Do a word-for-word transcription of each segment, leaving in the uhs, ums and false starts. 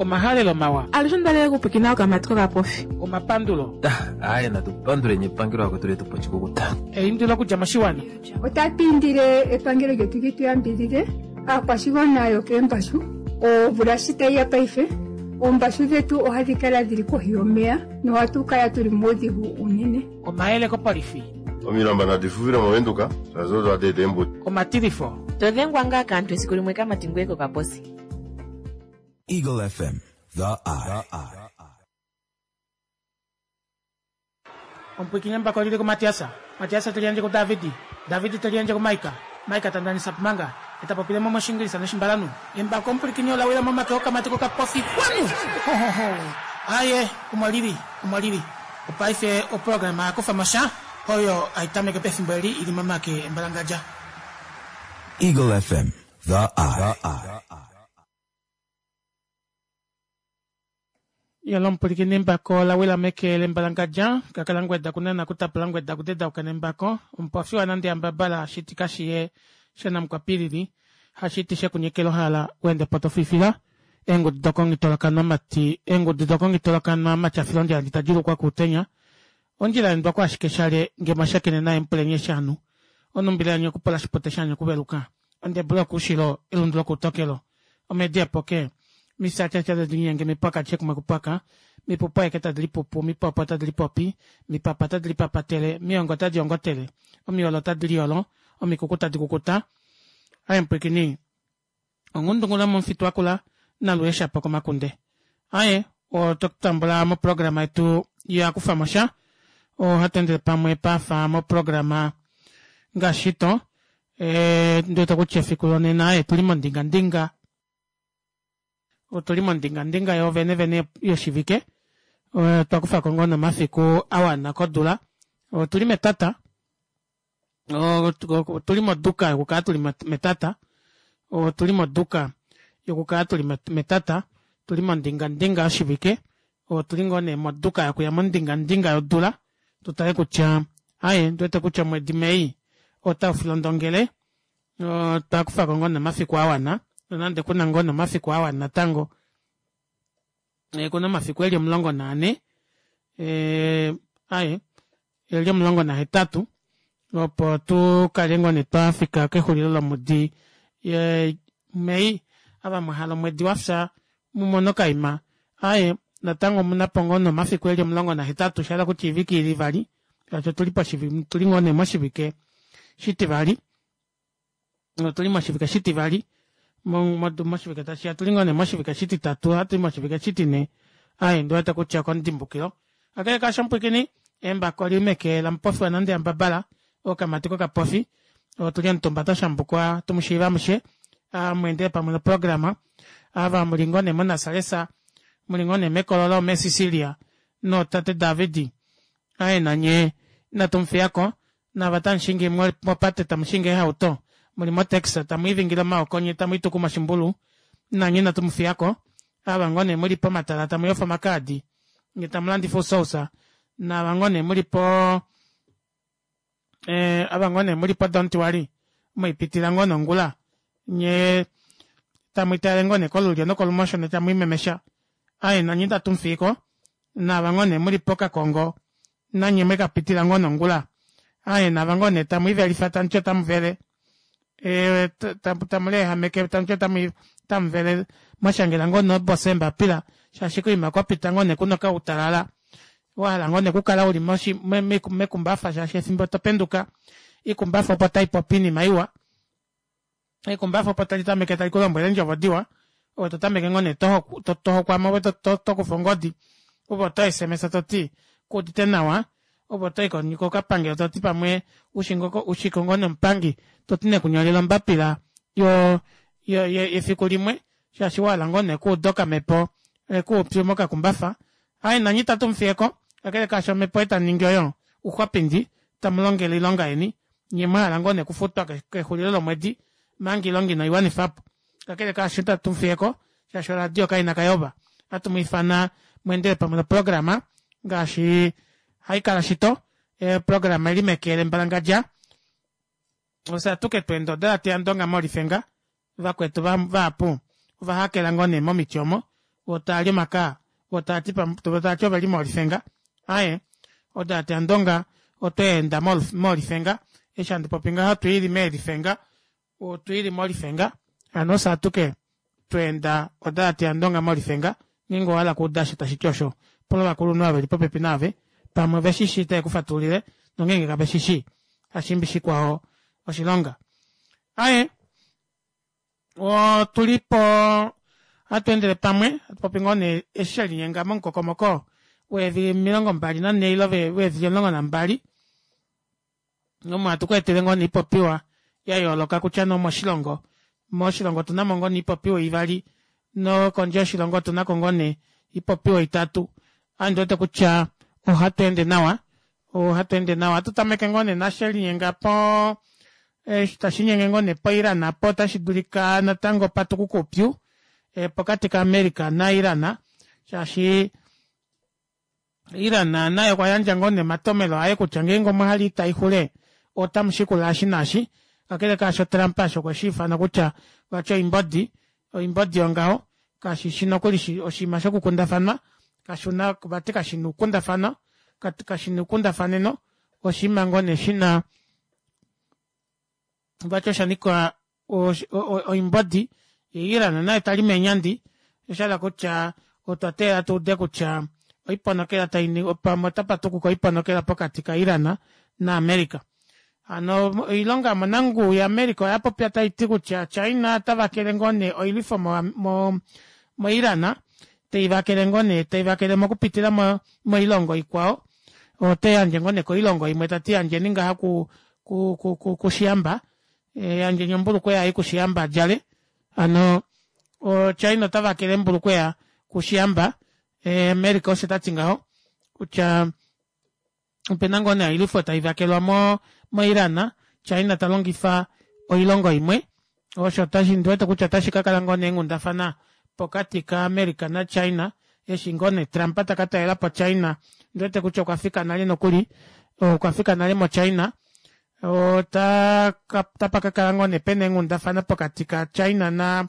Omahalelo mawa. Alushe ondalele okupwikina okamati kokapofi. Omapandulo. Aaye natu panduleni epangelo akwetu letu po oshikukuta. Eindilo okudja moshiwana. Otatu indile epangelo lyetu li tu yambidhidhe aakwashigwana yokeembashu. Omvula shi tayi ya paife, oombashu dhetu ohadhi kala dhili kohi yomeya nohatu kala tuli muudhigu uunene. Omayele kopolifi. Omilamba nadi fufile mOvenduka shaashi odo hadi eta eembuto. Omatilifo. To dhengwa ngaa kaantu esiku limwe kamati ngweye kokaposi. Eagle F M, The Eye. Omupwikinye mbako lili kuMatiasa. Matiasa teli yandje kuDavidi. Davidi teli yandje kuMaika. Maika tandanisa pumanga. Eta popile mo moshingilisa noshimbalanu. Embako omupwikinye ola wila momake okamati kokapofi. Kwanu! Ho, ho, ho. Aye, omo lili, omo lili. Opaife oprograma ya kufa mo sha, oyo hai tameke pefimbo eli ili momake embalangadja. Eagle F M, The Eye. Yalo omupulikini embako la wila meke lembalangadja, kakala ngweda kunana kutapula ngweda kudedauka nembako, omupofi wanande ambabala shiti kashiye shanamukwapilili, hashiti shekunyekela ohala wende potofifila, eengudu dokongitolokanwa mati, eengudu dokongitolokanwa matyafilo ondjila nditadilukwa kuutenya, ondjila yendwa ko ashike shale nge mwashakene naye mupulenye shanu, onumbila yanyu okupola shipote shanyu okuveluka, ondebula okuushilo elundu lokuutokelo, omedi epoke, misatyacha tadi linyenge mipwaka kumwe kupwaka, mipupu aeke tadi lipupu, mipopo tadi lipopi, mipapa tadi lipapatele, miongo tadi ongotele, omiolo tadi liolo, omikuku tadi kukuta. Aye mpwikini, onghundungula momufitu wakula naluye shapo komakunde. Aye, oto tambula moprograma yetu ya kufa mosha, ohatu endele pamwe pafa moprograma ngaashi to, e, ndiwete kutya efiku lonena aye tuli mondingandinga. Otuli mondingandinga yo vene vene yoshivike. Otwa kufa ko ngoo nomafiku a wana kodula. Otuli metata. Otuli moduka yokukala tuli metata. Otuli moduka yokukala tuli metata. Tuli mondingandinga yoshivike. Otuli ngoo nee moduka yokuya mondingandinga yodula. Tutale kutya aye ndiwete kutya omwedi Mei otau filondongele. Otwa kufa ko ngoo nomafiku a wana. Nonande kuna ngoo nomafiku a wana natango. E, kuna omafiku eli omulongo naane. E, aye, eli omulongo nahetatu. Opo tu kale ngoo nee twafika kexulilo lomwedi, e, Mei. Ava mwahala omwedi wafya mumone okaima. Aye, natango omunapo ngoo nomafiku eli omulongo nahetatu. Sha hala kutya oivike ili ivali. Shaashi otuli poshivi-, tuli ngoo nee moshivike shitivali. Otuli moshivike shitivali. Mo-, mo-, moshivike tashi ya tuli ngoo nee moshivike shititatu, ohatu i moshivike shitine. Aye, ndiwete kutya okondimbukilo. Kakele kaasho mupwikini, embako li meke lamupofi wanande ambabala, okamati kokapofi. Otuli omutumba twa shambukwa, tumushiiva amushe. Amwendele pamwe noprograma. Ava muli ngoo nee monasalesa, muli ngoo nee mekololo meSicilia, nootate Davidi. Aye, nanye inatu mufiyako. Nava tamushingi mopate, tamushingi ehauto, muli motaxi, tamu ivingile omaoko nye, tamu ituku moshimbulu, nanye inatu mufiyako. Ava ngoo nee muli pomatala, tamu yofa omakaadi, nye tamu landifa ousousa. Nava ngoo nee muli po, eh, ava ngoo nee muli po don't worry, mwipitila ngoo nongula, nye tamu itale ngoo nee kolulyo nokolumosho, nye tamu imemesha. Aye, nanye itatu mufiyiko. Nava ngoo nee muli pokakongo, nanye mwekapitila ngoo nongula. Aye, nava ngoo nee tamu ivelifa, tamu ti otamu vele. E, tamu leehameke, tamu ti otamu, tamu vele. Mwashangela ngoo nobosa eembapila, shaashi koima kwa pita ngoo nee kuna okautalala. Wahala ngoo nee okukala uli moshi-, me-, me-, mekumbafa, shaashi efimbo to penduka, ikumbafa opo tai popi oinima iwa. Ikumbafa opo tali tameke tali ku lombwele eendjovo diwa. Ove to tameke ngoo nee to ho-, to, to hokwamo, ove to, to, to kufa ongodi. Ove oto S M S to ti, ku udite nawa. Ove oto i ko-, kokapangelo to ti pamwe ushingoko, ushiko ngoo nomupangi, to ti nekunyolela ombapila yo, yo, yo, yefiku limwe, shaashi wahala ngoo nee kuuda okamepo, e, kuupyu mokakumbafa. Aye, nanye itatu mufiyeko, kakele kaasho omhepo eta ningi oyo, uxwapindi, tamu longele oilonga yeni, nye mwahala ngoo nee kufutwa ke-, kexulilo lomwedi, manga oilonga ino iwanifa po. Kakele kaasho itatu mufiyeko, shaashi oradio kaina kayoba. Ohatu mu ifana mwendele pamwe noprograma, ngaashi hai kala shito, e, programa ili mekele mbalangadja. Ofye atuke twenda oda teya ndonga molifenga, vakwetu va-, vahapu, ova hakela ngoo nee momiti omo. Voo taali omakaa voo taati voo oveli molifenga aaye odalate yandonga otweenda molifenga eshi handi popi ngaha otwiili meelifenga otwiili molifenga hano ofye atuke tweenda odalate yandonga molifenga ngeenge owahala okuuda osho tashiti osho pula ovakulunhu ava veli popepi naave pamwe oveshishi otave kufatululile nongenge kaveshishi kashiimba shikwao oshilonga. Aaye otulipo ohatweendele pamwe hatupopi ngoo nee eshi shelinyenga momukokomoko weevili omilongo mbali nanhee ile weevili omulongo nambali omo hatu kweetele ngoo nee oipopiwa yayooloka kutya nee omoshilongo moshilongo otunamo ngoo nee oipopiwa ivali nokondje yoshilongo otunako ngoo nee oipopiwa itatu ame ondiwete kutya ohatweende nawa ohatweende nawa ohatu tameke ngoo nee naashi shelinyenga poo eshi tashiinyenge ngoo nee po iran aapo ota shidulika natango patukuke oupyu pokati ka america na iran shaashi iran naye okwayandja ngoo nee omatomelo aye kutya ngeenge omwahala oita ixule otamushikula eshi naashi kakele kaasho trump eshi okweshiifana kutya vati oimbodi oimbodi yongaho kashishi nokuli oshinima shokukundafanwa kashina vati kashina oukundafano kashina oukundafaneno oshinima ngoo nee shina vati oshanika oimbodi yee iran naye tali meenyandi oshahala kutya otwa teelela tuude kutya oiponokela pamwe otapatukuka oiponokela pokati ka iran na america. Hano oilonga yomonanguwi ya america oyapopya taiti kutya china otavakele ngoo nee oilwifo mo mo iran teivakele ngoo nee teivakele mokupitila moilongo ikwao oteyandje ngoo nee koilongo imwe tati yandjeni ngaha ku ku kushiyamba yandjeni ombulukweya ei kushiyamba adjale hano china otavakele eembulukweya kushiyamba america osho tati ngaho kutya opena ngoo nee oilwifo taivakelwa mo mo iran china talongifa oilongo imwe osho ndiwete kutya otashi kakala ngoo nee eenghundafana pokati ka america na china eshi ngoo nee trump taka talelapo china ondiwete kutya okwafika nale nokuli okwafika nale mo china ota otapakakala ngoo nee pena eenghundafana pokati ka china na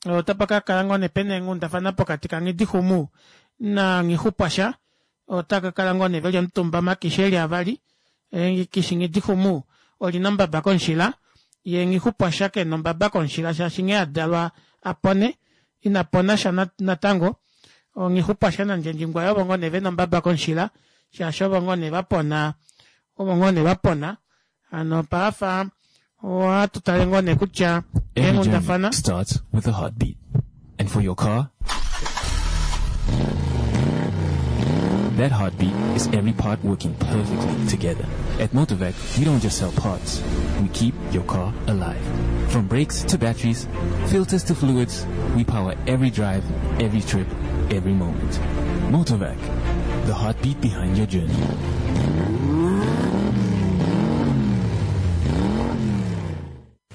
otapakakala ngoo nee pena eenghundafana pokati ka nghidixumu na nghixupwasha otakakala ngoo nee veli omutumba omakishi eli avali ekishi nghidixumu olina ombaba komushila yee nghixupwasha kena ombaba komushila shaashi nghee adalwa apone ina ponasha natango nghixupwasha nandjendjingwaye ovo ngoo nee vena ombaba komushila shaashi ovo ngoo nee vapona ovo ngoo nee vapona hano paafa ohatu tale ngoo nee kutya eenghundafana starts with a heartbeat. And for your car, that heartbeat is every part working perfectly together. At Motorvac, we don't just sell parts. We keep your car alive. From brakes to batteries, filters to fluids, we power every drive, every trip, every moment. Motorvac, the heartbeat behind your journey.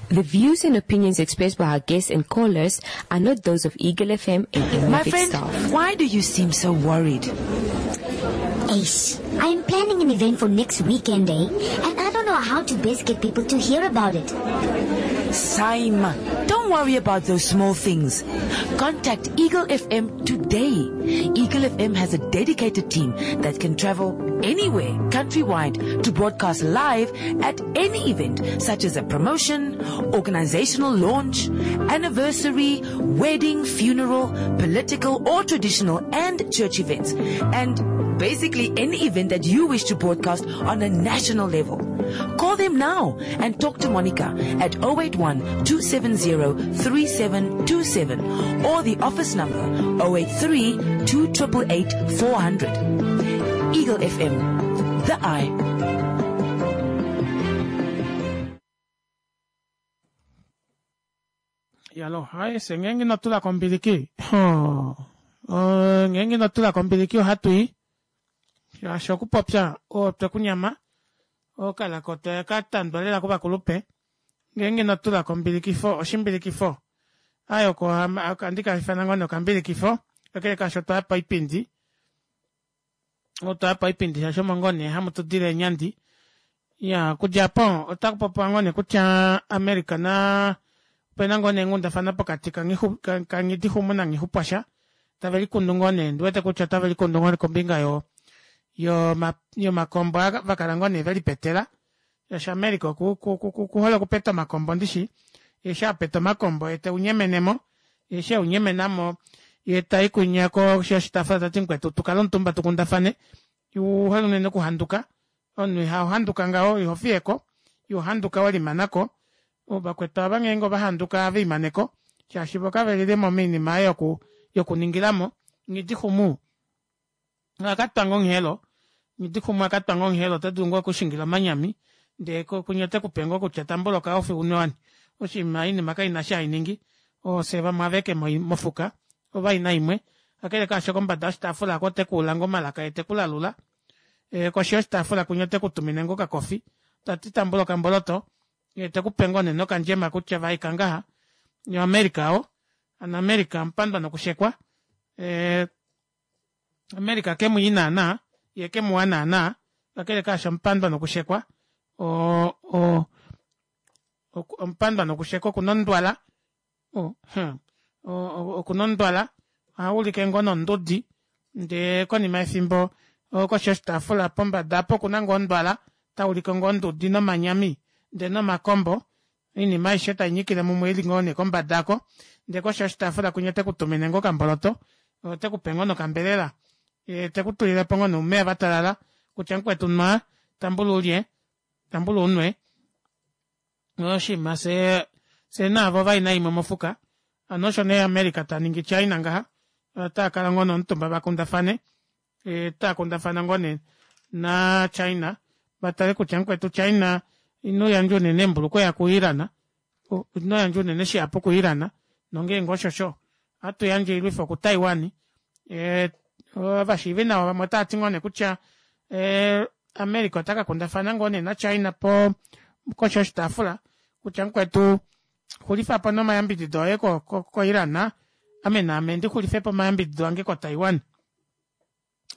The views and opinions expressed by our guests and callers are not those of Eagle F M and any My of its friend, staff. why do you seem so worried? Ace, I am planning an event for next weekend, eh? And I don't know how to best get people to hear about it. Saima, don't worry about those small things. Contact Eagle F M today. Eagle F M has a dedicated team that can travel anywhere, countrywide, to broadcast live at any event, such as a promotion, organizational launch, anniversary, wedding, funeral, political or traditional and church events. And basically any event that you wish to broadcast on a national level. Call them now and talk to Monica at oh eight one, two seven zero, three seven two seven or the office number oh eight three, two triple eight, four hundred. Eagle F M, the eye. Yalo, hai, se ngeenge ino tula kombiliki. Oh, oh, ngeenge ino tula kombiliki ohatu i. Shaashi okupopya otwe kunyama okalaka otakatandwa lela kovakulupe ngeenge ino tula kombilikifo oshimbilikifo aye oko andika ifana ngoo nee okambilikifo kakele kaasho otwaya paipindi otwaya paipindi shaashi omo ngoo nee hamu tudile eenyandi ya okudja aapo otakupopiwa ngoo nee kutya America na Opena ngoo nee eenghundafana pokati kaNghidixumu naNghixupwasha tavelikundu ngoo nee ondiwete kutya otave likundu ngoo nee kombinga yo yomakombo aa vakala ngoo nee velipetela shaashi America okuhole okupeta omakombo ndishi yee eshi apeta omakombo yee teunyemenemo yee eshi eunyemenamo yee tayi kwinya koshi yoshitaafula tati mukwetu tukale omutumba tukundafane ouhole unene okuhanduka omunhu ihahanduka ngaho ihofiyeko ihohanduka welimanako vakwetu aava ngeenge ovahanduka ohavelimaneko shaashi voo kavelilemo moinima ei yokuningilamo nghidixumu okwakatwa ngoo onghelo nghidixumu okwakatwa ngoo onghelo otadulu ngoo okushingila omanyami ndee kwinya otekupe ngoo kutya tambula okacoffee unwe wani oshinima oinima kaina eshi hainingi ofye vamwe aveke mofuka ovaina imwe kakele kaasho kombada yoshitaafula aako otekuula ngoo omalaka yee tekulalula koshi yoshitaafula kwinya otekutumine ngoo okacoffee tati tambula okamboloto yee tekupe ngoo nee nokandjema kutya vaeka ngaha yee o america oo hano america amupandwa nokushekwa ee america kemwii naana yee kemuwa naana kakele kaasho omupandwa nokushekwa oo o omupandwa nokushekwa okuna ondwala okuna ondwala ohaulike ngoo nondudi ndee konima yefimbo koshi yoshitaafula pombada aapo okuna ngoo ondwala taulike ngoo ondudi nomanyami ndee nomakombo oinima aishe tainyikile mumwe ili ngoo nee kombada aako ndee koshi yoshitaafula kwinya otekutumine ngoo okamboloto otekupe ngoo nokambelela yee tekutulilepo ngoo nee oumeva vatalala kutya mukwetu nwa tambula ulye tambula unwe oshiima fyee fyee naave ovaina imwe mofuka hano osho nee america taningi china ngaha otaakala ngoo nee omutumba vakundafane otaakundafana ngoo nee naa china vatale kutya mukwetu china ino yandja unene eembulukweya ku iran inoyandja unene shihapu ku iran nongenge oshosho ohatu yandje oilwifo ku taiwan ee ovashiivinawa vamwe otaati ngoo nee kutya ee america ota kakundafana ngoo nee na china po koshi yoshitaafula kutya mukwetu xulifapo nomayambidido oye ko iran ame naame ndixulifepo omayambidido ange ko taiwan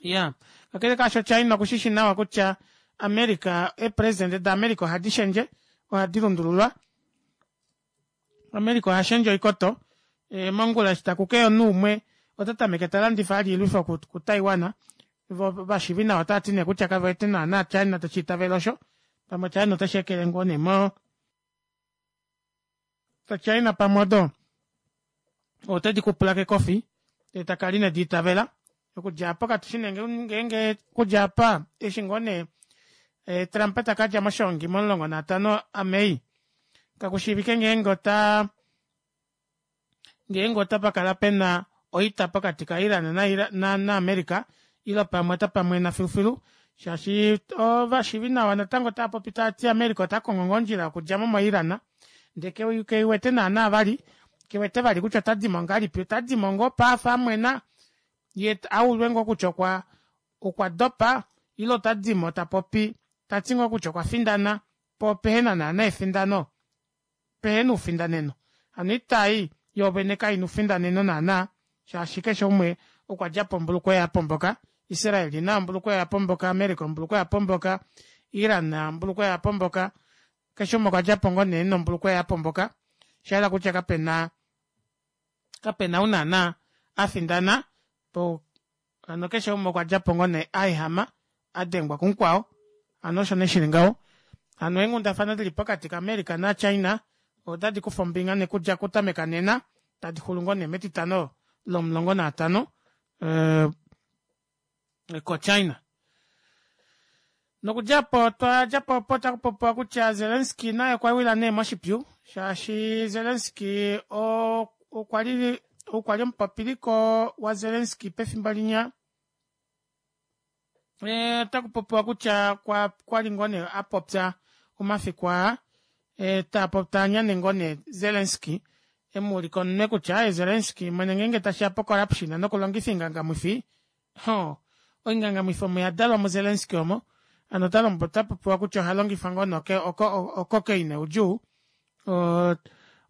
iyaa kakele kaasho china okushishi nawa kutya america eepresident da america ohadi shendje ohadi lundululwa america ohashendje oikoto mongula eshi takukeya omunhu umwe otatameke talandifa vali oilwifo ku taiwan voo ovashiivinawa otaati nee kutya kavewete naana china teshiitavele osho pamwe china otesheekele ngoo nee mo china pamwe odo otedi kupula kekofi ndee takala inediitavela okudja aapo katushi nee ngeenge okudja aapa eshi ngoo nee trump takadja moshongi momulongo naatano a may kakushiivike ngeenge otaa ngeenge otapakala pena oita pokati ka iran na america ile pamwe otapamwena filufilu shaashi ovashiivinawa natango otaapopi taati america otakongo ngoo ondjila yokudjamo mo iran ndee keiwete naana vali kewete vali kutya otadimo ngahelipi otadimo ngoo opo afa amwena yee aulwe ngoo kutya okwa okwa dopa ile otadimo tapopi tati ngoo kutya okwafindana poo pehena naana efindano pehena oufindaneno hano oita ei yoovene kaina oufindaneno naana shaashi keshe umwe okwadjapo ombulukweya yapomboka israel naye ombulukweya yapomboka america ombulukweya yapomboka iran ombulukweya yapomboka keshe umwe okwadjapo ngoo nee nombulukweya yapomboka oshahala kutya kapena kapena ou naana afindana po hano keshe umwe okwadjapo ngoo nee aehama adengwa kumukwao hano osho nee shili ngaho hano eenghundafana dili pokati ka america na china otadi kufa ombinga nokudja okutameka nena tadi xulu ngoo nee metitano lomulongo naatano ko china nokudjapo otwadjapo opo otakupopiwa kutya zelenski naye okwa wila nee moshipyu shaashi zelenski okwa li okwali omupopiliko wazelenski pefimbo linya otakupopiwa kutya kwali ngoo nee apopya omafiku aa taanyane ngoo nee zelenski emuulika omunwe kutya aaye zelenski mwene ngeenge tashiya po corruption nokulongifa oingangamwifi hoo oingangamwifi omo oyadalwa mu zelenski omo hano otapopiwa kutya ohalongifa ngoo nee ococaine oudjuu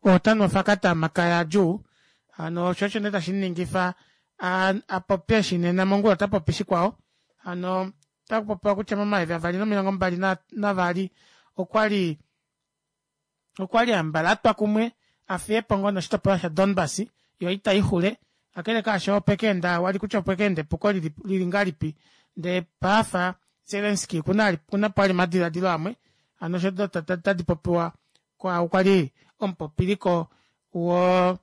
otanu ofakata omakaya adjuu hano osho osho nee tashimuningifa apopye eshi nena mongula otapopi shikwao hano otakupopiwa kutya momayovi avali nomilongo mbali navali okwali okwali hambala atwa kumwe afiyepo ngoo noshitopolwa sha Donbas yoo ita ixule kakele kaasho opekeenda wali kutya opekeenda epuko lili ngahelipi ndee paafa Zelensky okuna okunapo vali omadilaadilo amwe hano osho tadipopiwa kwaau kwali omupopiliko woo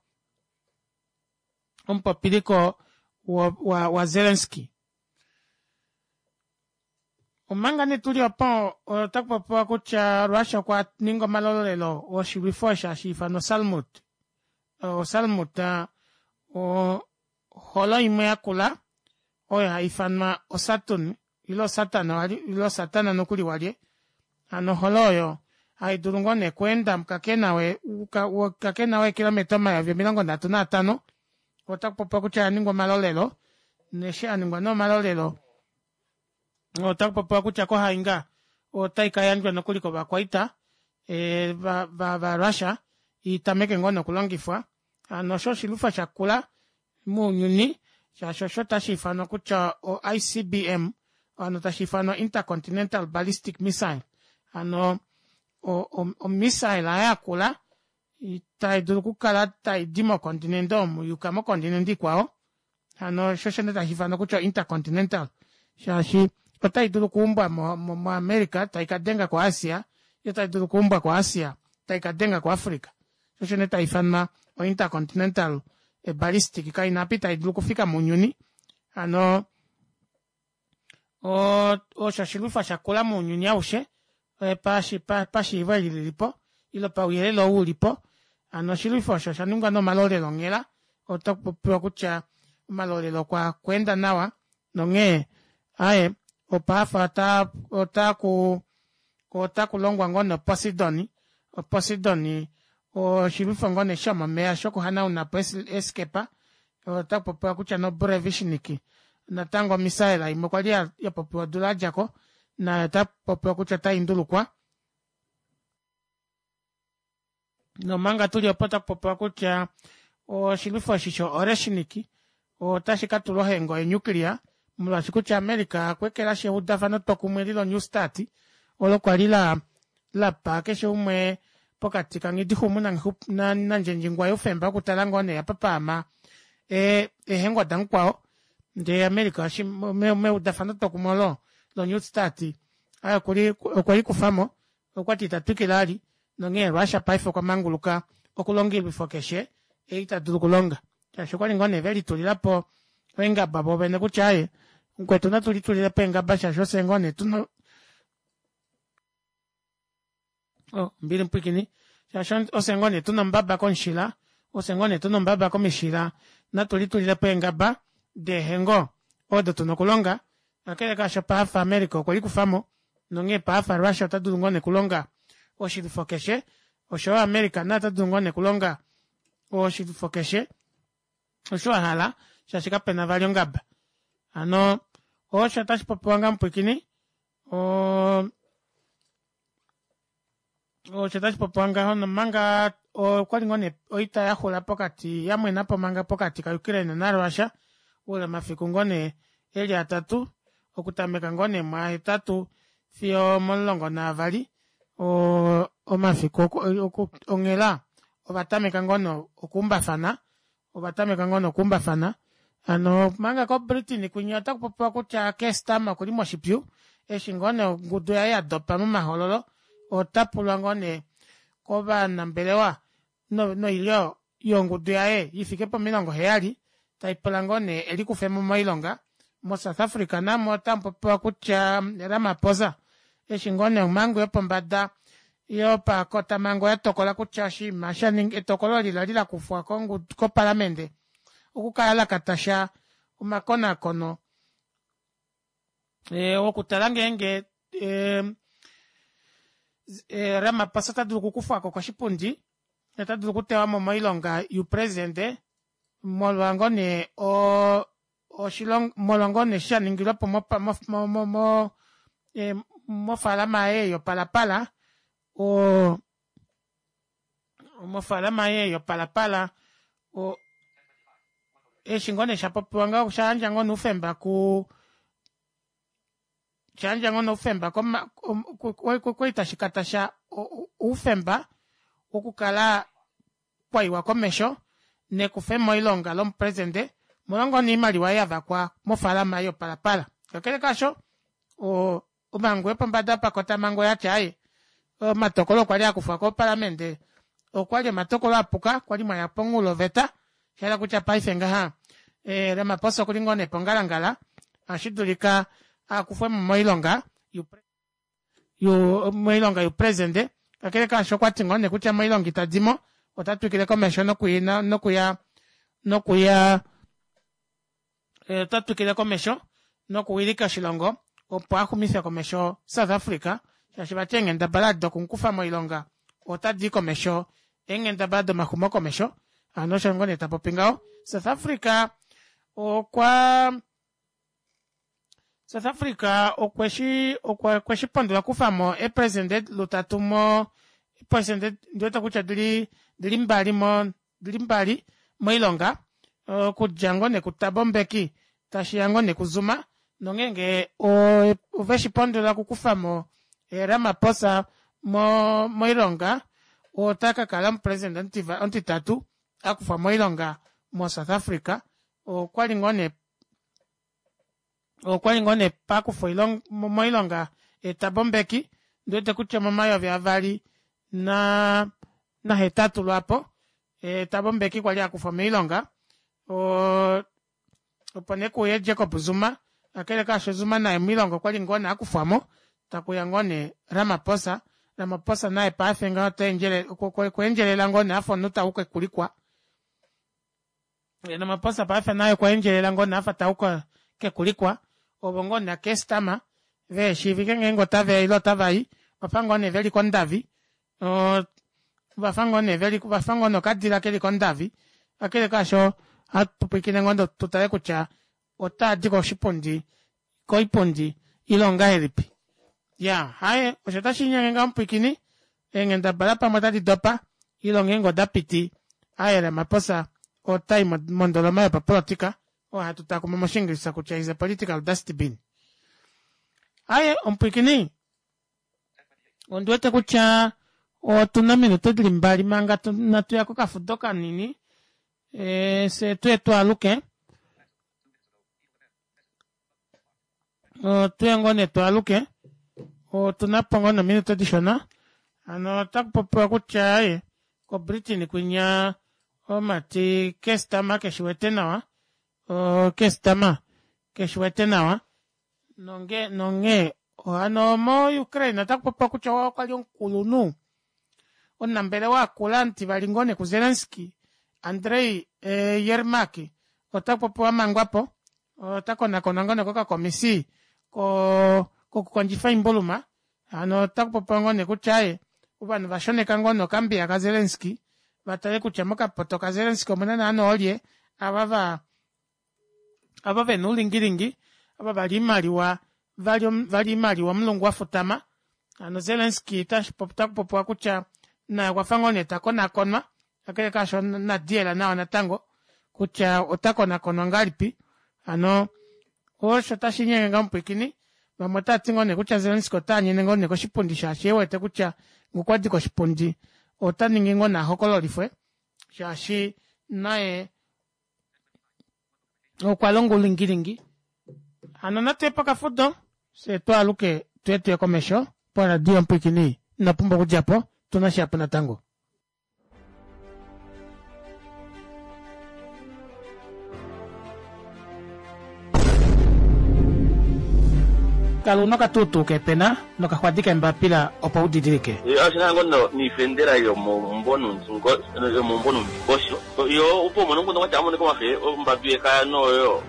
omupopiliko wa Zelensky. Omanga nee tuli opo otakupopiwa kutya Russia okwa ninga omalolelo oshilwifo osho hashiifanwa Salmut. Salmut oholo imwe yakula oyo haifanwa o Saturn ile Satan ile Satana nokuli walye hano oholo oyo haidulu ngoo nee okweenda mukakena weekilometa omayovi omilongo nhatu naatano otakupopiwa kutya oyaningwa omalolelo neshi aningwa nee omalolelo otakupopiwa kutya kohainga otaikayandjwa nokuli kovakwaita va Russia itameke ngoo nee okulongifwa hano osho oshilwifo shakula mounyuni shaashi osho tashiifanwa kutya o I C B M hano tashiifanwa Intercontinental Ballistic Missile hano o missile yakula taidulu okukala taidi mokontinente omu yuka mokontinente ikwao hano osho osho nee tashiifanwa kutya intercontinental shaashi otaidulu okuumbwa mo America taikadenga ko Asia yoo taidulu okuumbwa ko Asia taikadenga ku Africa shoo osho nee taifanwa o intercontinental ballistic kaina apa itaidulu okufika mounyuni hano osho oshilwifo shakula mounyuni aushe pashiivo eli lilipo ile pauyelele ou ulipo hano oshilwifo osho oshaningwa nee omalolelo onghela otakupopiwa kutya omalolelo okwa enda nawa nonghee aaye opafa otaku otakulongwa ngoo nee Posidoni Posidoni oshilwifo ngoo nee shomomeva shokuhanaunapo eeskepa otakupopiwa kutya no Burevishnik natango omisaela imwe kwali yapopiwa odula yadjako nayo otakupopiwa kutya otaindulukwa nomanga tuli opo otakupopiwa kutya oshilwifo eshi sho Oreshnik otashi katulwa ohengo yenuclear molwaashi kutya America okweekelashi eudafano twokumwe li lo New Start olo kwali la lapa keshe umwe pokati kanghidixumu nandjendjingwa youfemba wokutala ngoo nee apa paama eehengo damukwao ndee America meudafano twokumwe olo lo New Start okwelikufamo okwati itatwikile vali nonghee Russia paife okwa manguluka okulonga oilwifo keshe ei tadulu okulonga shaashi okwali ngoo nee velitulilapo eengaba vovene kutya aaye mukwetu natu litulilepo eengaba shaashi ofye ngoo nee tuna ombili mupwiikini shaashi ofye ngoo nee tuna ombaba komushila ofye ngoo nee tuna ombaba komishila natu litulilepo eengaba deehengo odo tuna okulonga kakele kaasho paife America okwe likufamo nonghee paife Russia ota dulu ngoo nee okulonga oshilwifo keshe oshoyo America naye ota dulu ngoo nee okulonga oshilwifo keshe osho ahala shaashi kapena vali ongaba hano osho otashipopiwa nga mupwiikini oo osho otashipopiwa ngaho nomanga okwali ngoo nee oita yaxula pokati yamwenapo manga pokati ka Ukraine na Russia oule womafiku ngoo nee eli atatu okutameka ngoo nee mwahetatu fiyo omulongo naavali omafiku onghela ovatameka ngoo nee okuumbafana ovatameka ngoo nee okuumbafana hano manga ko Britain kwinya otakupopiwa kutya Keir Starmer okuli moshipyu eshi ngoo nee ongudu yaye yadopa momahoololo otapulwa ngoo nee kovanambelewa noilyo yongudu yaye ifike pomilongo heyali taipula ngoo nee elikufemo moilonga mo South Africa namo otamupopiwa kutya Ramaphosa eshi ngoo nee omhangu yopombada yopakotamango yatokola kutya oshinima shaninga etokolo eli lali lakufwa kopalamende okukala lakatasha omakonakono okutala ngeenge Ramaphosa ota dulu okukufwako koshipundi ota dulu okutewamo moilonga youpresidente molwa ngoo nee oshilongo molwa ngoo nee shaningilwepo mofaalama yaye yopalapala oo mofaalama yaye yopalapala eshi ngoo nee shapopiwa ngaho oshayandja ngoo nee oufemba ku shayandja ngoo nee oufemba kwali tashikatasha oufemba wokukala kwaiwa komesho nekufe moilonga lomupresidente omolwa ngoo oimaliwa yavakwa mofaalama yoPalapala. Kakele kaasho omhangu yopombada pakotamango oyati aaye omatokolo kwali akufwa kopaliamente okwali omatokolo apuka kwali mwaya pomunghuloveta shahala kutya paife ngaha Ramaphosa okuli ngoo nee pongalangala ohashidulika akufwemo moilonga moilonga youpresidente. Kakele kaasho okwati ngoo nee kutya moilonga itadimo ota twikile komesho nokuya nokuya nokuya ota twikile komesho nokuwilika oshilongo opo axumife komesho South Africa shaashi vati eenghendabala dokumukufa moilonga otadii komesho eenghendabala domaxumo komesho. Hano osho ngoo nee tapopi ngaho. South Africa okwa South Africa okweshi okweshi pondola okukufamo eepresidente lutatu mo eepresidente ndiwete kutya dili dili mbali mo dili mbali moilonga okudja ngoo nee kuThabo Mbeki tashiya ngoo nee kuZuma nongeenge oveshipondola okukufamo Ramaphosa mo moilonga ota kakala omupresident omutitatu akufwa moilonga mo South Africa. Okwali ngoo nee okwali ngoo nee pakufwa moilonga Thabo Mbeki ndiwete kutya momayovi avali na nahetatu lwaapo Thabo Mbeki kwali akufwa moilonga opo nee kuuye Jacob Zuma. Kakele kaasho Zuma naye moilonga okwali ngoo nee akufwamo takuya ngoo nee Ramaphosa. Ramaphosa naye paife ngaho otaendjele okweendjelela ngoo nee afa omunhu tauka kekulikwa. Ramaphosa paife naye okwaendjelela ngoo nee afa tauka kekulikwa ovo ngoo nee Keir veheshiivike ngeenge otaveya ile otavai ovafa ngoo nee veli kondavi ovafa ngoo nee veli vafa ngoo nee okadila keli kondavi. Kakele kaasho ohatu pwilikine ngoo tutale kutya otaadi koshipundi koipundi ile ongahelipi. Ya haye osho tashiinyenge ngaho mupwiikini eenghendabala pamwe otadi dopa ile ngeenge odapiti aaye Ramaphosa otai mondoloma yopapolitika oyo hatu takuma moshiingilisa kutya is a political dustbin. Aaye omupwiikini ondiwete kutya otuna ominute dili mbali manga natuya kokafudo kanini e, fye tuye twaaluke tuye ngoo nee twaaluke otunapo ngoo nee ominute dishona. Hano otakupopiwa kutya aaye ko Britain kwinya omati Keir Starmer keshiwete nawa Keir Starmer keshiwete nawa nonge nonghee hano mo Ukraine otakupopiwa kutya okwali omukulunhu omunambelewa akula omutivali ngoo nee ku Zelensky Andrei Yermak otakupopiwa amangwapo otakonakonwa ngoo nee kokakomisi kokukondjifa oimbuluma. Hano otakupopiwa ngoo nee kutya aaye ovanhu vashoneka ngoo nee okambiya ka Zelensky vatale kutya mokapoto ka Zelensky omuna naana oolye ava va ava vena oulingilingi ava vali oimaliwa vali oimaliwa omulungu wafutama. Hano Zelensky otakupopiwa kutya naye okwafa ngoo nee takonakonwa kakele kaasho inadiyela nawa natango kutya otakonakonwa ngahelipi. Hano osho tashiinyenge ngaho mupwiikini. Vamwe otaati ngoo nee kutya Zelensky otaanyene ngoo nee koshipundi shaashi ewete kutya ngokwadi koshipundi ota ningi ngoo nee ahokololifwe shaashi naye okwa longa oulingilingi. Hano natuye pokafudo fye twaaluke tuye tuye komesho poradio mupwiikini ino pumbwa okudjapo tuna shihapu natango. Kala una okatuutuu keepena nokaxwadi keembapila opo udidilike. Ashina ngo niifendela yomombonundingosho yo opo mono nguno kwati amone komafe ombambi yekaya noyo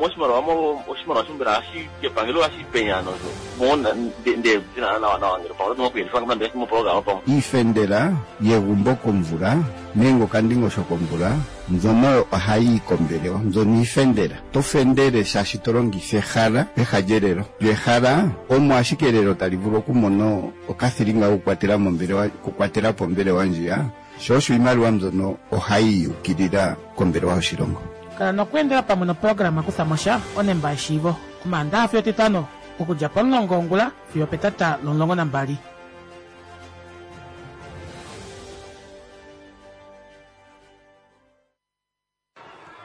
moshimaliwa mo oshimaliwa shombela ashi kepangelo ashi penyano so mona nde zina nawa nawa ngelo pamwe nokuyelifa ngambe mo program pamwe iifendela yegumbo komvula nenge okandingosho komvula mbyono ohayi kombelewa mbyono iifendela to fendele shaashi to longifa ehala peha lyelelo lyo ehala omo ashike elelo tali vulu okumona okathilinga kokukwatela mombelewa okukwatela po ombelewa ndjiya sho osho iimaliwa mbyono ohayi yukilila kombelewa yoshilongo. Kala nokweendela pamwe noprograma Kuthamosha onemba yeshiivo Omaandaxa fiyo Etitano okudja pomulongo wongula fiyo opetata lomulongo nambali.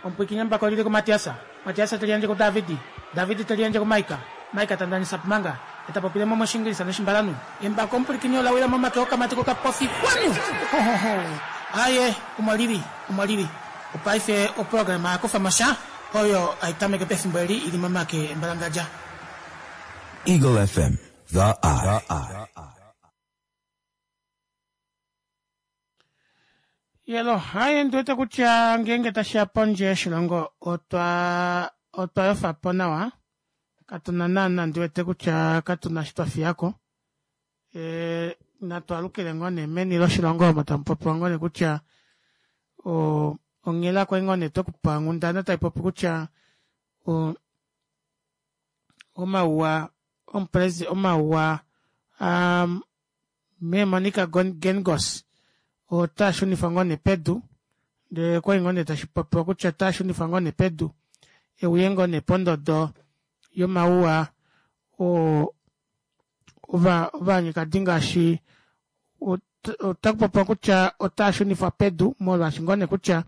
Omupwiikini embako olili kuMatiasa, Matiasa teli yandje kuDavidi, Davidi teli yandje kuMaika, Maika ta ndanisa Pumanga, eta popile mo mOshingilisa nOshimbalanhu. Embako omupwilikini ola wila momake okamati kokapofi kwanu! Hohoho! Aaye, omo lili, omo lili. Opaife oprograma ya kufa mo sha, oyo hai tameke pefimbo eli ili momake embalangadja. Eagle F M, The Eye. Yelo, haye ndiwete kutya ngeenge tashiya pondje yoshilongo otwa otwa yofa po nawa. Katuna naana ndiwete kutya katuna eshi twa fiyako. E, natu alukile ngoo nee meni loshilongo omo tamu popiwa ngoo nee kutya o, onghela kwali ngoo nee twekupa onghundana tai popi kutya o, omauwa omupresi omauwa um, mee Monica Gengos otaa shunifwa ngoo nee pedu, ndee okwali ngoo nee tashi popiwa kutya otaa shunifwa ngoo nee pedu euye ngoo nee pondodo yomauwa oo ova ovanyekadi ngaashi otakupopiwa kutya otaa shunifwa pedu molwaashi ngoo nee kutya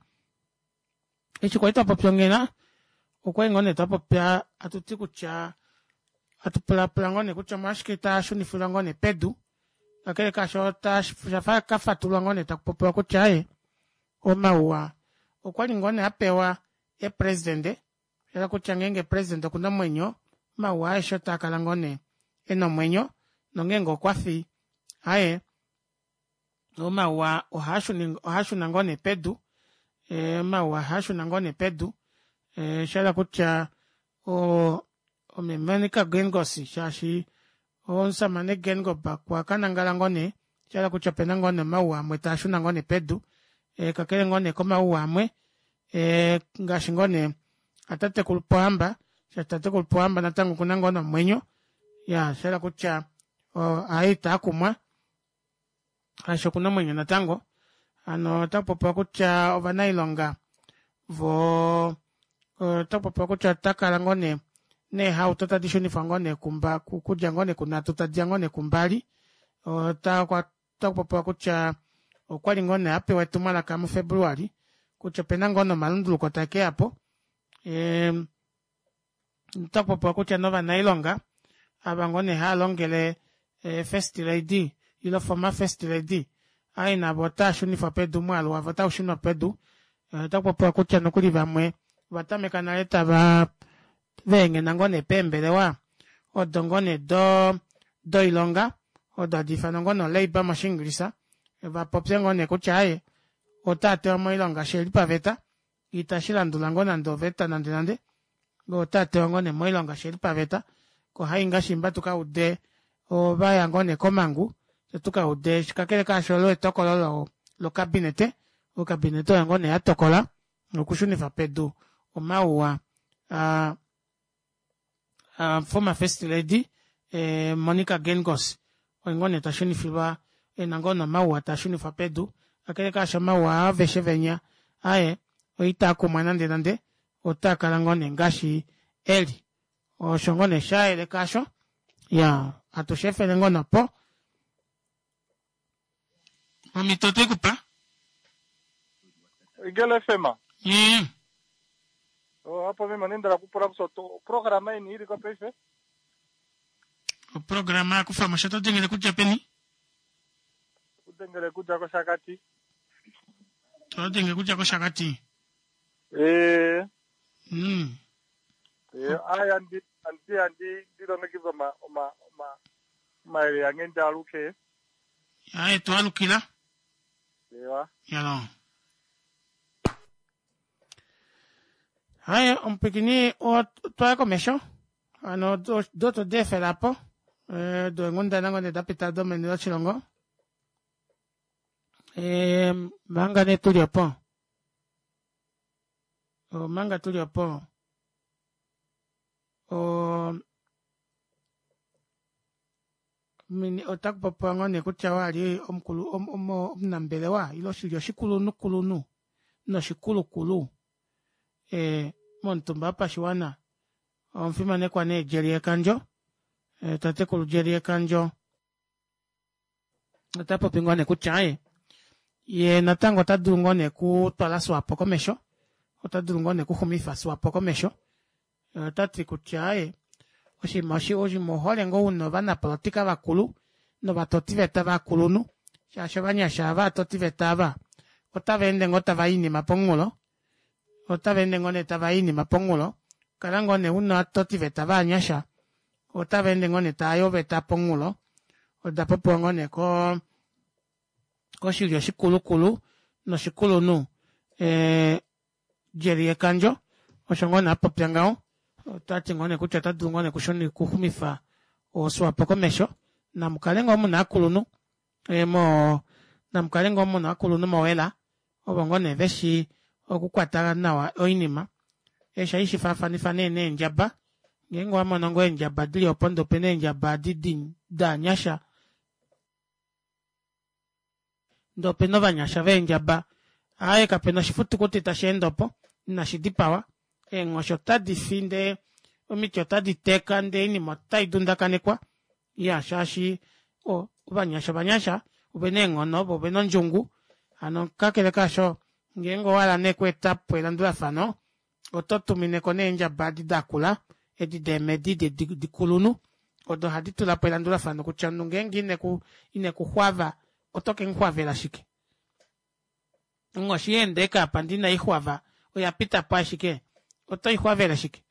eshi kwali twapopya onghela okwali ngoo nee twapopya atuti kutya atupulapula ngoo nee kutya omolwashike taa shunifilwa ngoo nee pedu, kakele kaasho oshafa kafatulwa ngoo nee takupopiwa kutya aye omauwa okwali ngoo nee apewa epresidente, ela kutya ngeenge president okuna omwenyo omauwa aeshe otaa kala ngoo nee ena omwenyo, nongeenge okwafi aye omauwa ohaashuna ngoo nee pedu, omauwa ohaashuna ngoo nee pedu, oshahala kutya mee Monica Geingos shaashi omushamane Geingob okwakanangala ngoo nee, oshahala kutya opena ngoo nee omauwa amwe taashuna ngoo nee pedu, kakele ngoo nee komauwa amwe ngaashi ngoo nee atatekulu Pohamba, shaashi tatekulu Pohamba natango okuna ngoo nee omwenyo, iya oshahala kutya aye itaakumwa shaashi okuna omwenyo natango. Hano otakupopiwa kutya ovanailonga vo otakupopiwa kutya otakala ngoo nee neehauto tadi shunifwa ngoo nee kumba kudja ngoo nee kunhatu tadiya ngoo nee kumbali. Otakupopiwa kutya okwali ngoo nee apewa etumwalaka muFebruali kutya opena ngoo nee omalunduluko takeyapo. Otakupopiwa kutya novanailonga ava ngoo nee hava longele First Lady ile former First Lady aye navo otaa shunifwa pedu, omwaalu wavo otaushunwa pedu. Otakupopiwa kutya nokuli vamwe ovatameka nale tava veenghena ngoo nee peembelewa odo ngoo nee doilonga odo hadi ifanwa ngoo nee olabour moshiingilisa, vapopye ngoo nee kutya aaye otaa tewa moilonga shiheli paveta, itashi landula ngoo nande oveta nande nande, otaa tewa ngoo nee moilonga shiheli paveta. Ko hainga shimba tukaude ovaya ngoo nee komangu tukaude kakele kaasho olo etokolo lokabinete, okabinete oyo ngoo nee yatokola okushunifa pedu omauwa aa former First Lady Monica Geingos oyo ngoo nee tashunifilwa ena ngoo nee omauwa tashunifwa pedu, kakele kaasho omauwa aveshe venya aye oitaakumwa nande nande, otaakala ngoo nee ngaashi eli. Osho ngoo nee shayeleka asho, iya atushefele ngoo nopo omhito otwekupa Eagle F M. Mm. Oh, hapo mimi nenda kupula kusoto programa yini ili kwa paife? Programa yakufa mosho tengele kutya peni? Kutengele kutya koshakati. Totengele kutya koshakati. Eh. Mm. Eh, aya ndi andi andi ndilongekidha ma ma ma maele yange ndaluke. Aye twalukila. Ewa. Yalo. Haye omupikini otwaya komesho. Hano do to defelapo. Eh do enghundana ngoo nee dapita domeni loshilongo. Eh manga nee tuli opo. Manga tuli opo. O mini otakupopiwa ngoo nee kutya wali omukulu omunambelewa ile oshilyo oshikulunhukulunhu noshikulukulu e momutumba wopashiwana omufimanekwa nee Jerry Ekandjo, tatekulu Jerry Ekandjo ota popi ngoo nee kutya aye ye natango ota dulu ngoo nee kutwala SWAPO komesho, Ota dulu ngoo nee okuxumifa Swapo komesho. Otati kutya aaye oshinima oshinima ouhole ngoo una ovanapolitika vakulu novatotiveta vakulunhu shaashi ovanyasha ava ovatotiveta aava otavaende ngoo tavayi oinima pomunghulo otavaende ngoo nee tavayi oinima pomunghulo kala ngoo nee una ovatotiveta vovanyasha otavaende ngoo nee taayi oveta pomunghulo oda popiwa ngoo nee koo koshilyo shikulukulu noshikulunhu ee Jerry Ekandjo osho ngoo nee apopya ngaho otati ngoo nee kutya otadulu ngoo nee okuxumifa o Swapo komesho namukale ngoo muna ovakulunhu moo namukale ngoo muna ovakulunhu mowela ovo ngoo nee veshi okukwata nawa oinima eshi ohaishifaafanifa nee neendjaba ngeenge owamono ngoo eendjaba dili opo ndee opena eendjaba edi dovanyasha ndee opena ovanyasha veendjaba aaye kapena oshifitukuti tasheende opo ina shidipawa eenghoshi ota difi ndee omiti ota diteka ndee oinima ota idundakanekwa iyaa shaashi ovanyasha ovanyasha ovena eenghono voo ovena ondjungu hano kakele kaasho ngeenge owahala nee okweetapo elandulafano oto tumineko nee eendjaba edi dakula edi deemedi dikulunhu odo hadi tulapo elandulafano kutya omunhu ngeenge ineku inekuxwava oto kemuxwavela shike onghoshi yaenda ashike aapa ndee inaixwava oyapitapo ashike otoixwavele shike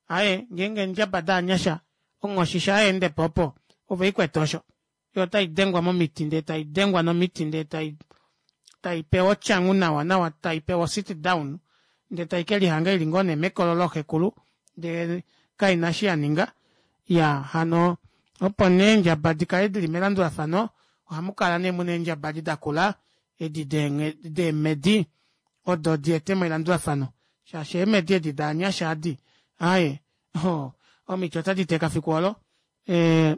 aaye ngeenge eendjaba dovanyasha onghoshi shaa yaendepo opo ove oikwete osho yoo otaidengwa momiti ndee taidengwa nomiti ndee tai taipewa otyangu nawa nawa taipewa o sit down ndee taikelihanga ili ngoo nee mekolo looxekulu ndee kaina eshi yaninga iyaa hano opo nee eendjaba dikale dili melandulafano ohamukala nee muna eendjaba edi dakula edi deemedi odo dyeetemo elandulafano shaashi eemedi edi dovanyasha aadi aaye ohoo omiti ota diteka fiku oolo ee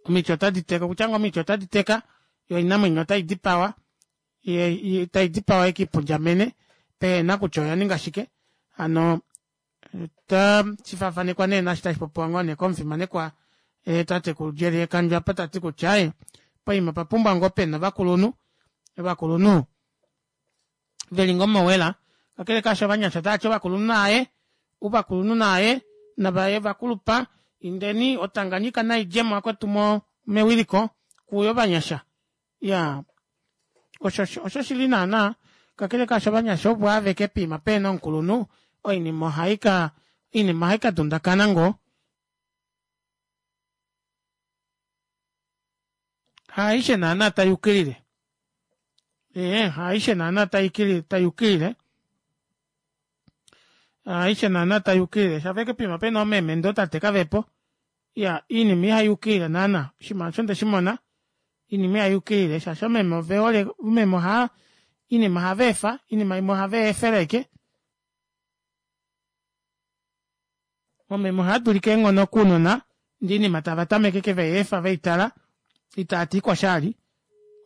omiti ota diteka okutya ngoo omiti ota diteka yoo oinamwenyo ota idipawa taidipawa yekiipundjamene pehena kutya oyaninga shike hano ota shifaafanekwa nee naashi tashipopiwa ngoo nee komufimanekwa tatekulu Jerry Ekandjo aapa tati kutya aaye poima opapumbwa ngoo pena ovakulunhu ovakulunhu veli ngoo mowela kakele kaasho ovanyasha otavati ovakulunhu naaye ovakulunhu naaye navaye ovakulupa indeni o Tanganyika naidjemo vakwetu mewiliko kuuye ovanyasha iyaa osho oshoshili naana kakele kaasho ovanyasha ovo aveke poima pehena omukulunhu oinima ohaika oinima ohaika dundakana ngoo haaishe naana tayukilile ee haaishe naana tayukilile haaishe naana tayukilile shafa ashike poima pena oomeme ndee ootate kavepo iyaa oinima ihayukilile naana oshinima aasho ondeshimona oinima ihayukilile shaashi oomeme ovehole omeme ohaa oinima ohaveefa oinima imwe ohaveyeefele ashike omeme ohaadulika eenghono kounona ndee oinima tava tameke ashike veyeefa veitala itaati kosha vali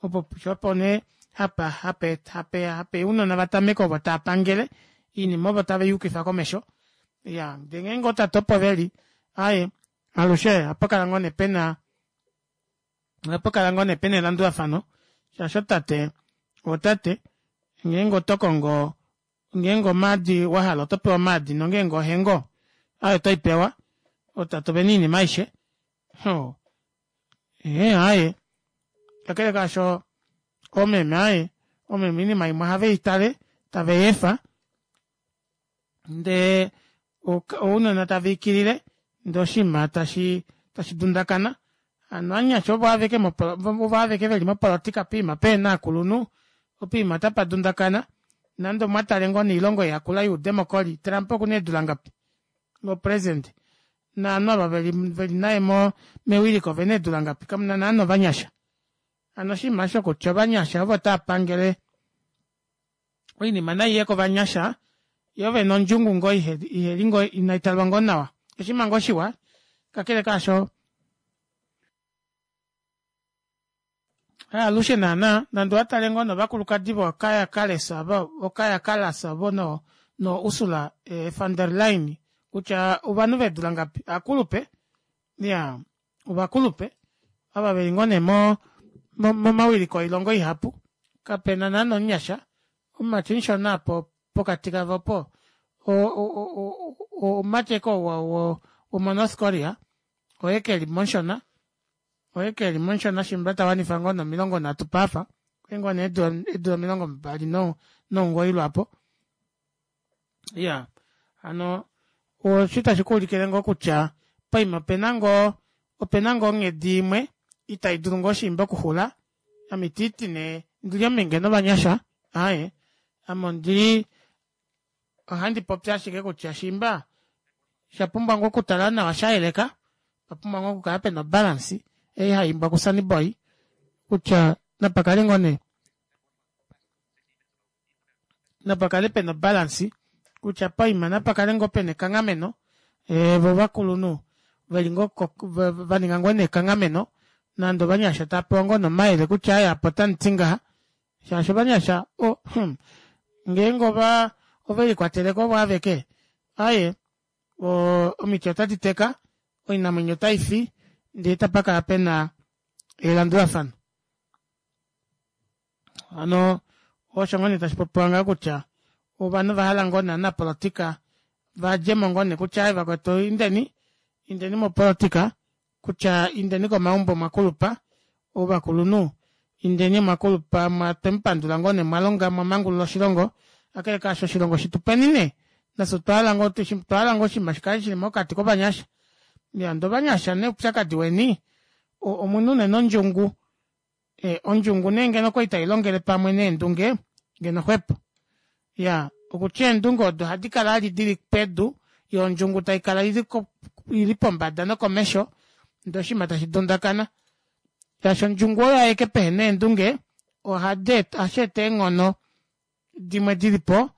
opo shoo opo nee hapa hape hape ounona vatameke ovo taapangele oinima ovo tave yukifa komesho iyaa ndee ngeenge ootate opo veli aaye alushe ohapakala ngoo nee pena ohapakala ngoo nee pena elandulafano shaashi otate otate ngeenge otokongo ngeenge omaadi wahala otopewa omaadi nongeenge ohengo aaye otoipewa ootate ovena oinima aishe oo ee aaye kakele kaasho oomeme aaye oomeme oinima imwe ohaveitale taveyeefa ndee ounona taviikilile ndee oshinima tashi tashi dundakana hano ovanyasha ovo aveke ovo aveke veli mopolitika poima pehena ovakulunhu poima otapa dundakana nande omwatale ngoo nee oilongo ei yakula youdemocry Trump okuna eedula ngapi o president novanhu ava veli naye mewiliko ovena eedula ngapi kamuna naana ovanyasha hano oshinima aasho kutya ovanyasha ovo taapangele oinima naiye kovanyasha yoo vena ondjungu ngoo iheli ngoo inaitalwa ngoo nawa oshinima ngoo shiwa kakele kaasho haalushe naana nande owatale ngoo novakulukadi voo kaya kallas vo kaya kallas ovo no Ursula von der Leyen kutya ovanhu veedula ngapi ovakulupe iyaa ovakulupe ava veli ngoo nee momawiliko oilongo ihapu kapena naana omunyasha omumati omushona aapo Pokati kavo opo omumati oo womoNorth Korea oye keli momushona oye keli momushona shiimba tawanifa ngoo nee omilongo nhatu paife okuli ngoo nee eedula omilongo mbali nomugoyi lwaapo iyaa hano osho tashikuulikile ngoo kutya poima opena ngoo opena ngoo onghedi imwe ita idulu ngoo shiimba okuxula ame itiiti nee ndili ominge novanyasha aaye ame ondili ohandi popi ashike kutya shiimba oshapumbwa ngoo okutala nawa shayeleka opapumbwa ngoo okukala pena o balance ei haiimbwa ku sunny boy kutya napakale ngoo nee napakale pena o balance kutya poima napakale ngoo pena ekanghameno voo ovakulunhu veli ngoo vaninga ngoo nee ekanghameno nande ovanyasha taapewa ngoo nee omayele kutya aaye apa otamuti ngaha shaashi ovanyasha oo hmm ngeenge ova ovelikwateleko ovo aveke aaye omiti ota diteka oinamwenyo otaifi ndee itapakala pena elandulafano hano osho ngoo nee tashipopiwa ngaho kutya ovanhu ovahala ngoo nee ovanapolitika vadjemo ngoo nee kutya aaye vakwetu indeni indeni mopolitika kutya indeni komaumbo omwakulupa ovakulunhu indeni omwakulupa twemupandula ngoo nee mwalonga mwamangulula oshilongo kakele kaasho oshilongo shitupeni nee nafye otwahala ngoo oshinima shikale shili mokati kovanyasha iyaa ndee ovanyasha nee oupyakadi weni omuna unene ondjungu ondjungu nee ngeno okwali tailongele pamwe neendunge ngeno xwepo iyaa okutya eendunge odo ohadikala vali dili pedu yoo ondjungu taikala ili pombada nokomesho ndee oshinima tashi dundakana shaashi ondjungu oyo aike pehena eendunge ohasheeta eenghono dimwe dilipo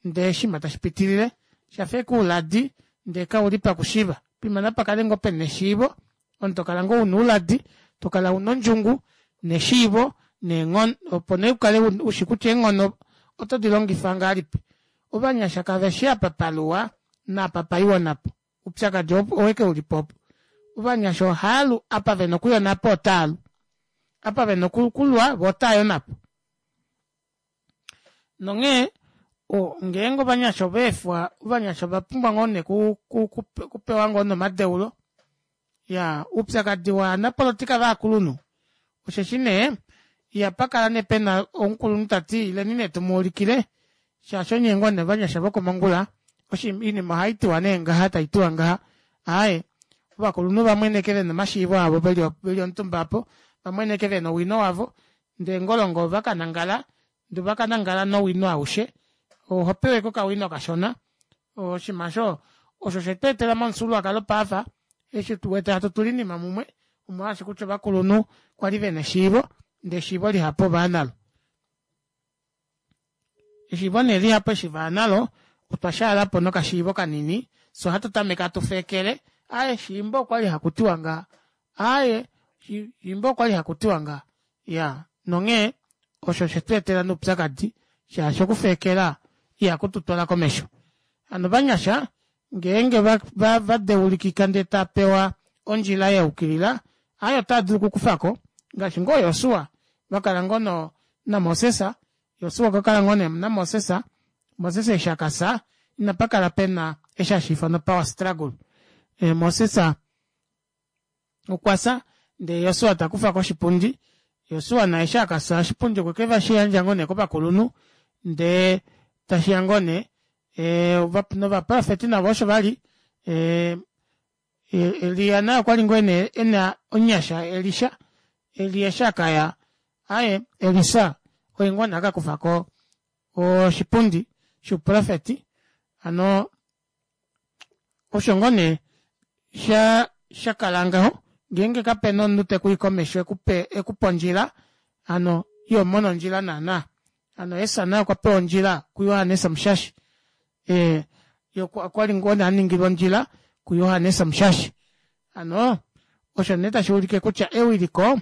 ndee oshinima tashipitilile shafa ashike ouladi ndee kauli pakushiiva poima napakale ngoo pena eshiivo omunhu tokala ngoo una ouladi tokala una ondjungu neshiivo neenghono opo nee ukale ushi kutya eenghono oto dilongifa ngahelipi ovanyasha kaveshi apa paluwa naapa paiwa onhapo oupyakadi oweke ulipo opo ovanyasha ohaalu apa vena okuya onhapo otaalu apa vena okulwa voo otaayi onhapo nonghee ngeenge ovanyasha ovaefwa ovanyasha ovapumbwa ngoo nee okupewa ngoo nee omadeulo iyaa oupyakadi wovanapolitika ovakulunhu osheshi nee ihapakala nee pena omukulunhu tati ileni nee tumuulikile shaashi onye ngoo nee ovanyasha vokomongula oinima ohaitiwa nee ngaha taitiwa ngaha aaye ovakulunhu ovamwene ashike vena omashiivo avo veli omutumba aapo vamwene ashike vena owino wavo ndee ngolongo ovakanangala ndee ovakanangala nowino aushe ohopewa ashike okawino kashona oshinima aasho osho shetweetela momufyuululwakalo paife eshi tuwete hatu tula oinima mumwe omolwaashi kutya ovakulunhu kwali vena eshiivo ndee eshiivo lihapu ovaya nalo eshiivo nee lihapu eshi vaya nalo otwa shaalapo nokashiivo kanini fyee ohatu tameke hatu feekele aaye shiimba okwali hakutiwa ngaha aaye shiimba okwali hakutiwa ngaha iyaa nonghee osho oshetweetela nee oupyakadi shaashi okufeekela ihakututwala komesho hano ovanyasha ngeenge vadeulikika ndee taapewa ondjila yayukilila aaye otaadulu okukufako ngaashi ngoo josua vakala ngoo namoses Josua okwa kala ngoo nee namoses Moses eshi akafya inapakala pena eshi hashiifanwa power struggle Moses okwafya ndee Josua takufako oshipundi Josua naye eshi akafya oshipundi okwe shiyandja ngoo nee kovakulunhu ndee tashiya ngoo nee novaprofeti navo osho vali Elia naye okwali ngoo ena omunyasha Elisha Elia eshi akaya aaye Elisa oye ngoo nee akakufako oshipundi shouprofeti hano osho ngoo nee sha shakala ngaho ngeenge kapena omunhu tekuyi komesho ekupe ekupe ondjila hano ihomono ondjila naana hano Jesus naye okwapewa ondjila kuJohannes Omushashi ee okwali ngoo nee aningilwa ondjila kuJohannes Omushashi hano osho nee tashuulike kutya ewiliko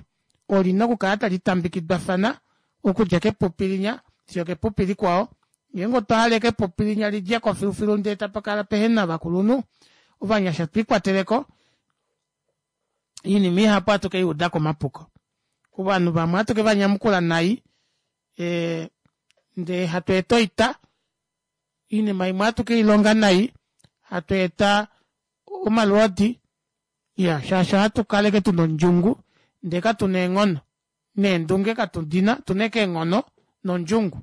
olina okukala tali tambikidwafana okudja kepupi linya fiyo okepupi likwao ngeenge otwa hala ashike epupi linya lidjeko filufilu ndee tapakala pehena ovakulunhu ovanyasha twiikwateleko oinima ihapu ohatu keiudako mapuko ovanhu vamwe ohatu kevanyamukula nai ndee hatu eta oita Oinima imwe ohatu keilonga nai, hatu eta omalwoodi, iyaa shaashi ohatu kala ashike tuna ondjungu ndee katuna eenghono neendunge katudina otuna ashike eenghono nondjungu.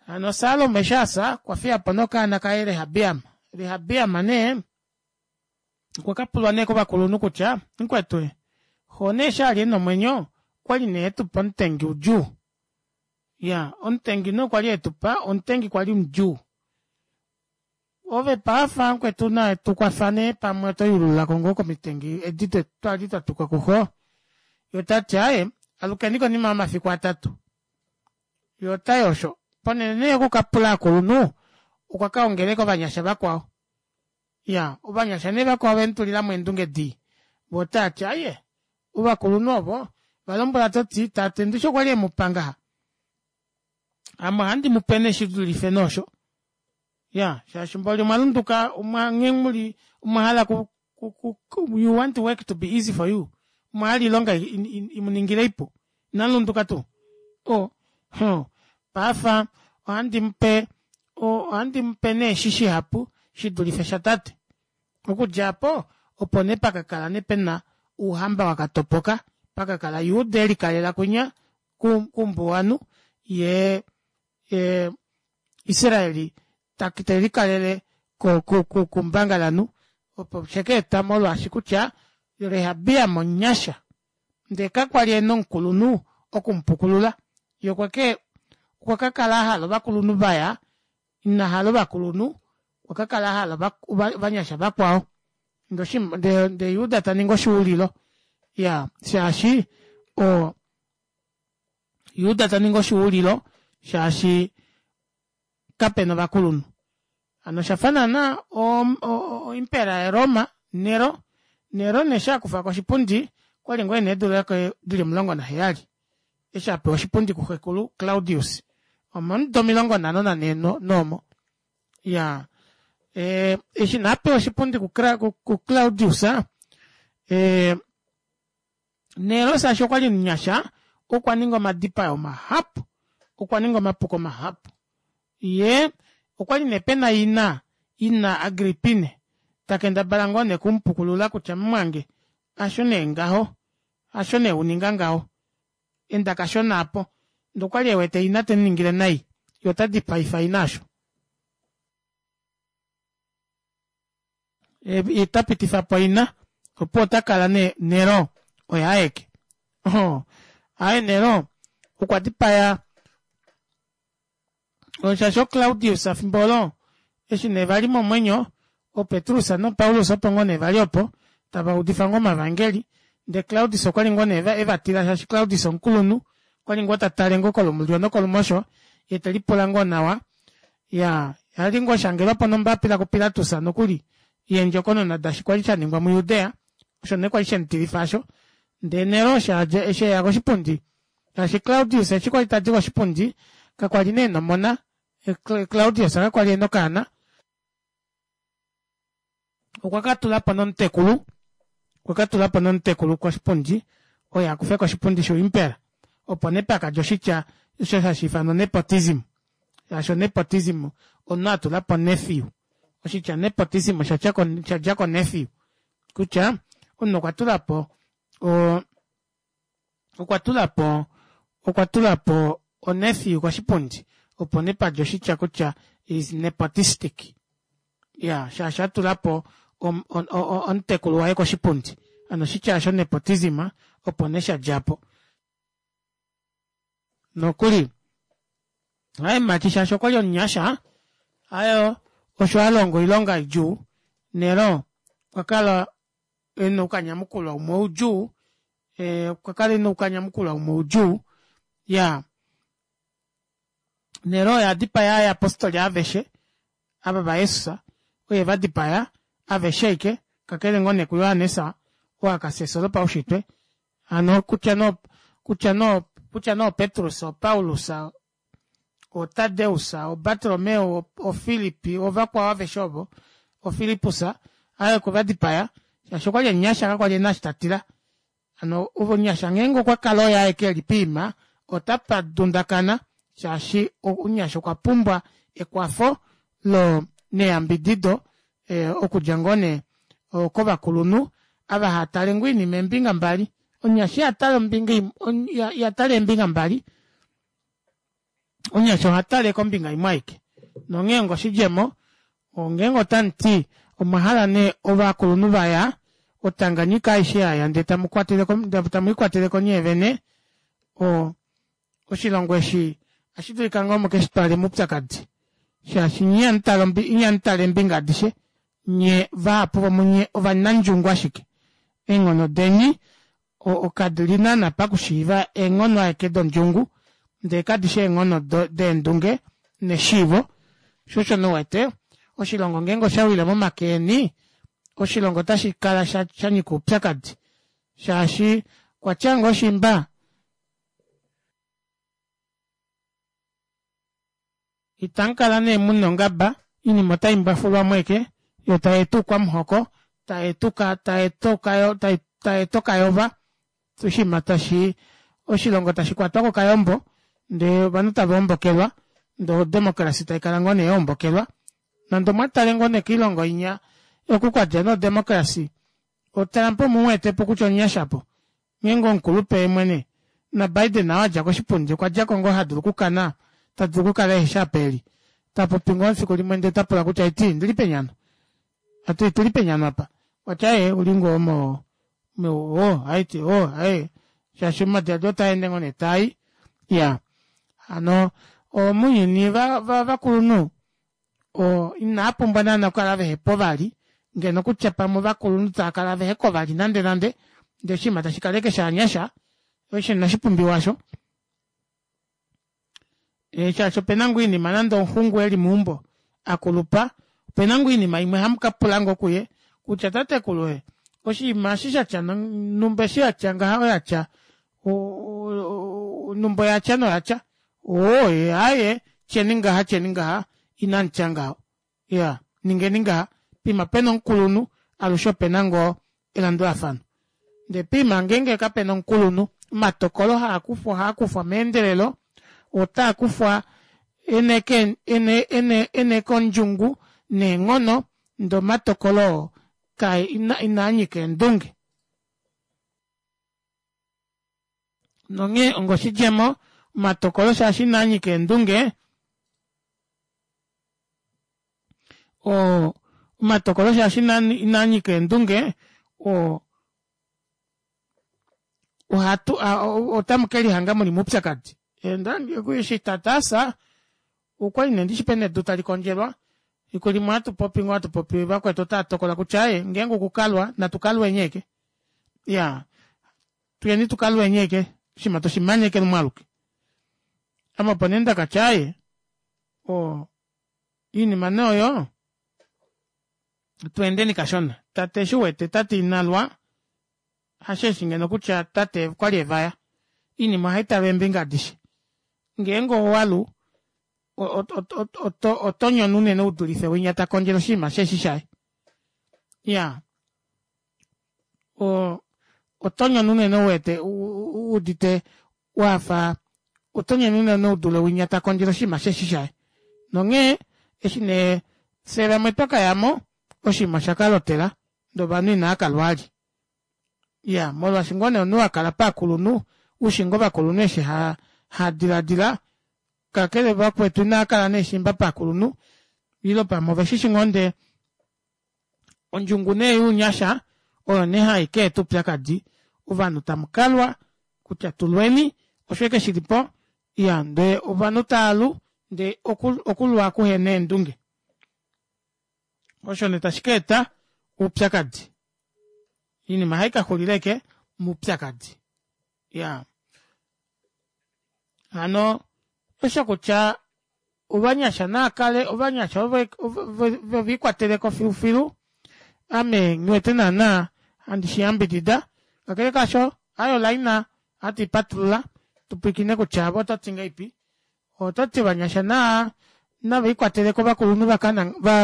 Hano Salomo eshi afya okwafiyapo nee okaana kaye Rehabeam. Rehabeam nee okwakapulwa nee kovakulunhu kutya mukwetu xoo nee eshi ali ena omwenyo okwali nee etupa omutengi udjuu, iyaa omutengi nee kwali etupa omutengi kwali mudjuu ove paife mukwetu tukwafa nee pamwe otoyuululako ngoo komitengi edi twali twatukwa kuxoo yee otati aaye alukeni konima yomafiku atatu yee otayi osho ponele nee yokukapula ovakulunhu okwakaongela ashike ovanyasha vakwao iyaa ovanyasha nee vakwao ovemutulilamo eendunge dii voo otavati aaye ovakulunhu ovo ovalombwela toti tate ndishi okwali emupa ngaha ame ohandi mupe nee shidulife nee osho iyaa shaashi mboli omwalunduka nghee muli omwahala ku you want work to be easy for you omwahala oilonga imuningile ipu inamulunduka tuu oo hoo paife ohandimupe ohandimupe nee eshi shihapu shidulife shatate okudja aapo opo nee pakakala nee pena ouhamba wakatopoka pakakala Juda elikalela kwinya koumbuwanhu yee Israeli telikalele koumbangalanhu opo oshakeeta molwaashi kutya Rehabeam omunyasha ndee kakwali ena omukulunhu okumupukulula yee okwake okwakakala ahala ovakulunhu vaya inahala ovakulunhu okwakakala ahala ovanyasha vakwao ndee Juda taningi oshuulilo iyaa shaashi oo Juda taningi oshuulilo shaashi kapena ovakulunhu hano oshafa naana o imperial ya roma Nero, Nero nee eshi akufako oshipundi okwali ngoo ena eedula dili omulongo naheyali eshi apewa oshipundi kuxekulu Claudius omomudo omilongo nhano nanhee noomo iyaa ee eshi nee apewa oshipundi ku claudius ee Nero shaashi okwali omunyasha okwaninga omadipayo mahapu okwaninga omapuko mahapu yee okwali nee pena ina ina Agrippine takendabala ngoo nee okumupukulula kutya mumwange hasho nee ngaho hasho nee uninga ngaho enda kashona aapo ndee okwali ewete ina temuningile nai yee otadipaifa ina osho yee tapitifapo ina opuwo otakala nee Nero oye aeke ohoo aaye Nero okwa dipaya shaashi oo Claudius efimbo olo eshi nee vali momwenyo oo Petrus no Paulus opo ngoo nee vali opo tavaudifa ngoo omavangeli ndee Claudius okwali ngoo nee evatila shaashi Claudius omukulunhu okwali ngoo tatale ngoo kolumulyo nokolumosho yee telipula ngoo nawa iyaa ali ngoo ashangelwapo nombaapila ku Pilatus nokuli yeendjokonona daashi kwali shaningwa mu Judea osho nee kwali shemutilifa aasho ndee Nero eshi eya koshipundi shaashi Claudius eshi kwali tadi koshipundi kakwali nee ena omona Claudius kakwali ena okaana okwa katulapo nomutekulu okwa katulapo nomutekulu koshipundi oye akufeko oshipundi shouimpera opo nee pakadja oshitya osho hashiifanwa nepotism shaashi nepotism omunhu atulapo nephew oshitya nepotism oshadja ko nephew kutya omunhu okwa tulapo oo okwa tulapo okwa tulapo o nephew koshipundi opo nee padja oshitya kutya is nepotistic iyaa shaashi atulapo omutekulu waye koshipundi hano oshitya aasho nepotism opo nee shadjapo nokuli aaye mumati shaashi okwali omunyasha aaye osho alonga oilonga idjuu nero okwakala ena oukanyamukulwa umwe udjuu okwakala ena oukanyamukulwa umwe udjuu iyaa Nero oye adipaya ovayapostoli aveshe ava vaJesus oye evadipaya aveshe ashike kakele ngoo nee kuJohannes oo akafya efyo lopaushitwe hano kutya nee kutya nee kutya nee oPetrus oPaulus oTadeus oBartolomeo oPhilip ovakwao aveshe ovo oFilippus aaye okwe vadipaya shaashi okwali omunyasha kakwali ena eshi tatila hano omunyasha ngeenge okwa kala oye aeke eli poima otapa dundakana shaashi omunyasha okwa pumbwa ekwafo lo neyambidido okudja ngoo nee kovakulunhu ava haatale ngoo oinima eembinga mbali omunyasha ihatale ombinga imwe ihatale eembinga mbali omunyasha ohatale kombinga imwe aike nonghee onga oshidjemo ngeenge otamuti omwahala nee ovakulunhu vaya o Tanganyika aishe yaya ndee tamwiikwateleko nyeevene oo oshilongo eshi ohashidulika ngoo mukeshitwale moupyakadi shaashi nyee ihamutale eembinga adishe nyee vahapu vomunye ovanandjungu ashike eenghono deni kadili naana pakushiiva eenghono ashike dodjungu ndee kadishi eenghono deendunge neshiivo shoo osho nee uwete oshilongo ngeenge oshawile momake eni oshilongo ota shikala shanyika oupyakadi shaashi okwatya ngoo shimba itamukala nee muna ongaba oinima otaimbwafulwamo ashike yoo tayeeta oukwamuhoko tayeeta okayova oshinima tashi oshilongo tashikwatwa kokayombo ndee ovanhu tava hombokelwa ndee o democracy taikala ngoo nee yahombokelwa nande omwatale ngoo nee koilongo inya oku kwadja nee o democracy o Trump omuwetepo kutya omunyasha aapo ngeenge omukulupe yeemwene na Biden ou adja koshipundi okwadjako ngoo hadulu okukana tadulu okukala eheshi apa eli tapopi ngoo efiku limwe ndee otapula kutya haiti ondili peni hano otuli peni hano aapa okwati aaye ouli ngoo mo oo haiti oo aaye shaashi omadilaadilo otaende ngoo nee taai iyaa hano mounyuni ovakulunhu inaapumbwa naana okukala vehepo vali ngeno kutya pamwe ovakulunhu taakala veheko vali nande nande ndee oshinima tashikala ashike shovanyasha osho inashipumbiwa aasho shaashi opena ngoo oinima nande omuxungu eli meumbo akulupa opena ngoo oinima imwe hamukapula ngoo kuye kutya tatekulu ee oshinima eshi shatya numba eshi yatya ngaha oyatya numba oyatya noyatya oo aaye tyeni ngaha tyeni ngaha inamutya ngaho iyaa ningeni ngaha poima pena omukulunhu alushe opena ngoo elandulafano ndee poima ngeenge kapena omukulunhu omatokolo haakufwa ohaakufwa meendelelo otaakufwa ena ashike ondjungu neenghono ndee omatokolo oo inaanyika eendunge nonghee onga oshidjemo omatokolo shaashi inaanyika eendunge oo omatokolo shaashi inaanyika eendunge oo ohatu otamukelihanga muli moupyakadi eshi tate afya okwali nee ndishi pena edu talikondjelwa efiku limwe ohatupopi ngoo hatupopi vakwetu otaatokola kutya aaye ngeenge okukalwa natu kalweni ashike iyaa tuyeni tukalweni ashike oshinima tushimane ashike lumwe aluke ame opo nee ndakatya aaye oo oinima nee oyo tweendeni kashona tate eshi uwete tate inalwa hasheeshi ngeno kutya tate okwali evaya oinima ohaitalwa eembinga adishe ngeenge owalu otonyono unene udulife winya takondjele oshinima shihefi shaye iyaa oo otonyono unene uwete wuudite wafa otonyono unene udule winya takondjele oshinima shihefi shaye nonghee eshi nee fyee vamwe twakayamo oshinima oshakalotela ndee ovanhu inaakalwa vali iyaa molwaashi ngoo nee omunhu wakala povakulunhu ushi ngoo ovakulunhu eshi haadilaadila kakele vakwetu inaakala nee shimba povakulunhu ile pamwe oveshishi ngoo ndee ondjungu nee younyasha oyo nee haikeeta oupyakadi ovanhu tamukalwa kutya tulweni osho ashike shilipo iya ndee ovanhu taalu ndee okulwa kuhena eendunge osho nee tashikeeta oupyakadi oinima ohaikaxulila ashike moupyakadi iyaa hano osho kutya ovanyasha naakale ovanyasha veviikwateleko filufilu ame nghiwete naana handi shiyambidida kakele kaasho aaye olaina ohatu ipatulula tupwiikine kutya ove ototi ngahelipi ototi ovanyasha naa navelikwateleko ovakulunhu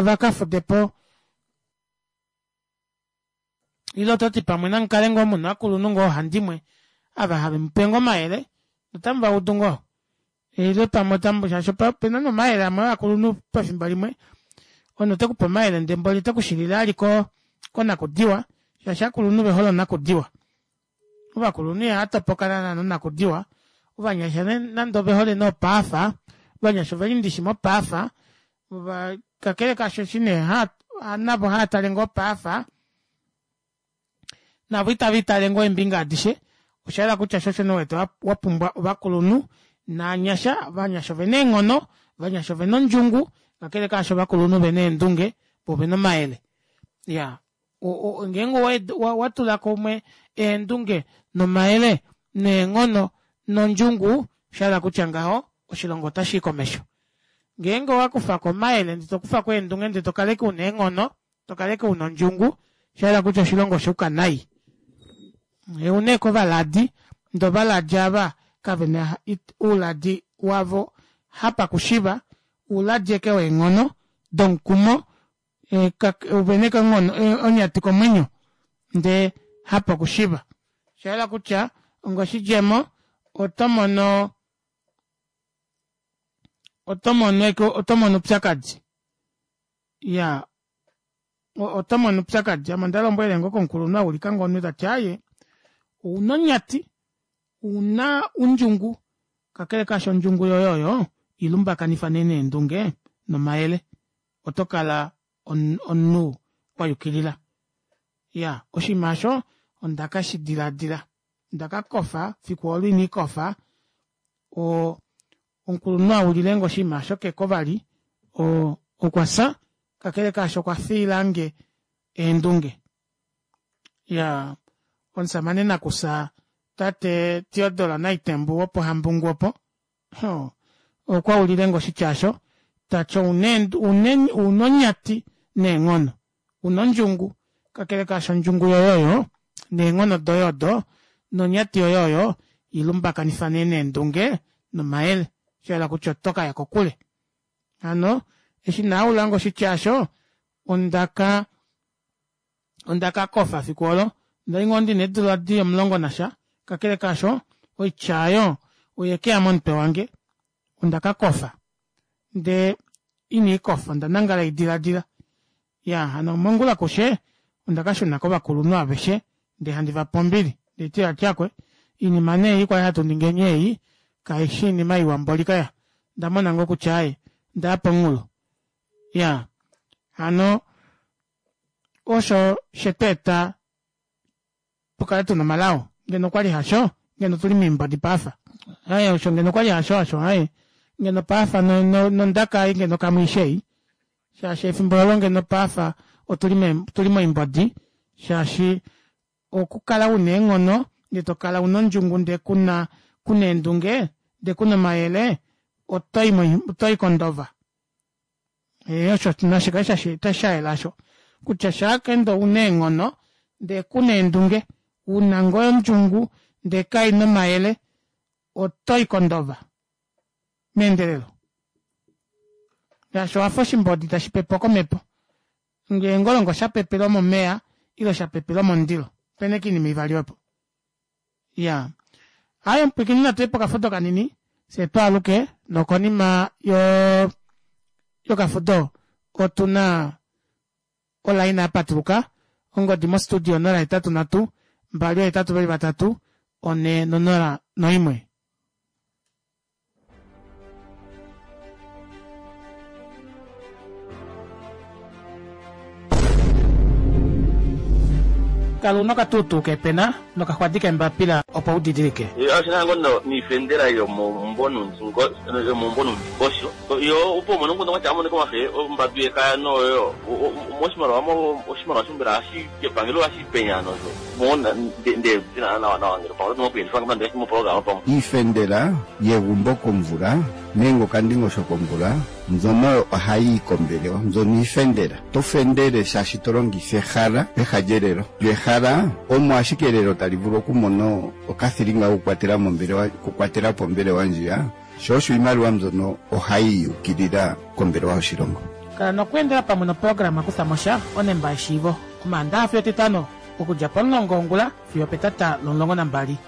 vakafudepo ile ototi pamwe namukale ngoo muna ovakulunhu ngoo oohandimwe ava havemupe ngoo omayele notamuvaudu ngoo Ile pamwe otamu shaashi opena nomayele amwe ovakulunhu pefimbo limwe omunhu otekupe omayele ndee mboli otekushilile ali konakudiwa shaashi ovakulunhu ovehole onakudiwa ovakulunhu ihatopoka naana nonakudiwa ovanyasha nande ovehole nee opaafa ovanyasha oveli ndishi mopaafa kakele kaasho eshi nee navo haatale ngoo opaafa navo itaviitale ngoo eembinga adishe oshahala kutya shoo osho nee uwete wapumbwa ovakulunhu novanyasha ovanyasha ovena eenghono ovanyasha ovena ondjungu kakele kaasho ovakulunhu ovena eendunge voo ovena omayele iyaa ngeenge owatula kumwe eendunge nomayele neenghono nondjungu oshahala kutya ngaho oshilongo otashii komesho ngeenge owakufako omayele ndee tokufako eendunge ndee tokala ashike una eenghono tokala ashike una ondjungu oshahala kutya oshilongo oshuuka nai ouna ashike ovaladi ndee ovaladi aava kavena ouladi wavo hapakushiva ouladi ashike weenghono domukumo ovena ashike onyati komwenyo ndee hapokushiva oshahala kutya onga oshidjemo otomono otomono otomono oupyakadi iyaa otomono oupyakadi ame ondalombwelele ngoo komukulunhu aulikange omunhu tati aaye ouna onyati ouna ondjungu kakele kaasho ondjungu yoye oyo ilumbakanifa nee neendunge nomayele otokala omunhu wayukilila iyaa oshinima aasho ondakashidilaadila ondakakofa efiku oolo ina ndikofa oo omukulunhu aulilenge oshinima aasho keko vali oo okwafya kakele kaasho okwa fiilange eendunge iyaa omushamane nakufya tate Theodore Naitembu wopohambungu opo oo okwaulilenge oshitya aasho tati ouna onyati neenghono una ondjungu kakele kaasho ondjungu yoye oyo neenghono doye odo nonyati yoye oyo ilumbakanifa nee neendunge nomayele shahala kutya otokaya kokule hano eshi nee aulange oshitya aasho ondaka ondakakofa efiku oolo ondali ngoo ndina eedula dili omulongo nasha kakele kaasho oitya aayo oyekeya momutwe wange ondakakofa ndee ina ndikofa onda nangala haidilaadila iyaa hano mongula kushe ondakashuna kovakulunhu aveshe ndee handi vape ombili ndeeti vati aakwee oinima nee ei kwali hatuningeni ei kaifi oinima iwa mboli kaya ondamona ngoo kutya aaye ondaya pomunghulo iyaa hano osho shetweeta tukale tuna omalao ngeno okwali hasho ngeno otuli moimbodi paife aaye osho ngeno okwali hasho osho aaye ngeno paife nondaka ei ngeno kamwiishi ei shaashi efimbo olo ngeno paife otuli moimbodi shaashi okukala una eenghono ndee tokala una ondjungu ndee kuna kuna eendunge ndee kuna omayele otoyi kondova ee osho nashikale shayela aasho kutya shaakende ouna eenghono ndee kuna eendunge una ngoo ondjungu ndee kaina omayele otoyi kondova meendelelo shaashi owafa oshimbodi tashipepwa komepo ngeenge olongo shapepelwa momeva ile shapepelwa momundilo opena ashike oinima ivali opo iyaa aaye omupwiikini natuye pokafudo kanini fyee twaaluke nokonima yokafudo otuna olaina yapatuluka ongodi mo studio onola hetatu nhatu mbali oohetatu veli vatatu onhe nonola noimwe. Kala una okatuutuu keepena nokaxwadi keembapila opo udidilike. Oshina ngoo noifendela yomomumbo noundingosho yo opo umone omukundu watya amonike wafe ombadu yekaya noyo moshimaliwa oshimaliwa mbela epangelo ohashi penya nosho ndee nawa nawa ngeno pamwe oto dulu okuyelifa pamwe Iifendela yegumbo komvula nenge okandingosho komvula mbyono ohayi yi kombelewa mbyono iifendela to fendele shaashi to longitha ehala peha lyelelo lyo ehala omo ashike elelo tali vulu okumona okathilinga kokukwatela mombelewa okukwatela po ombelewa ndjiya sho osho iimaliwa mbyono ohayi yukilila kombelewa yoshilongo. Kala nokweendela pamwe noprograma Kufa mo sha onemba yeshiivo Omaandaxa fiyo Etitano okudja pomulongo wongula fiyo opetata lomulongo nambali.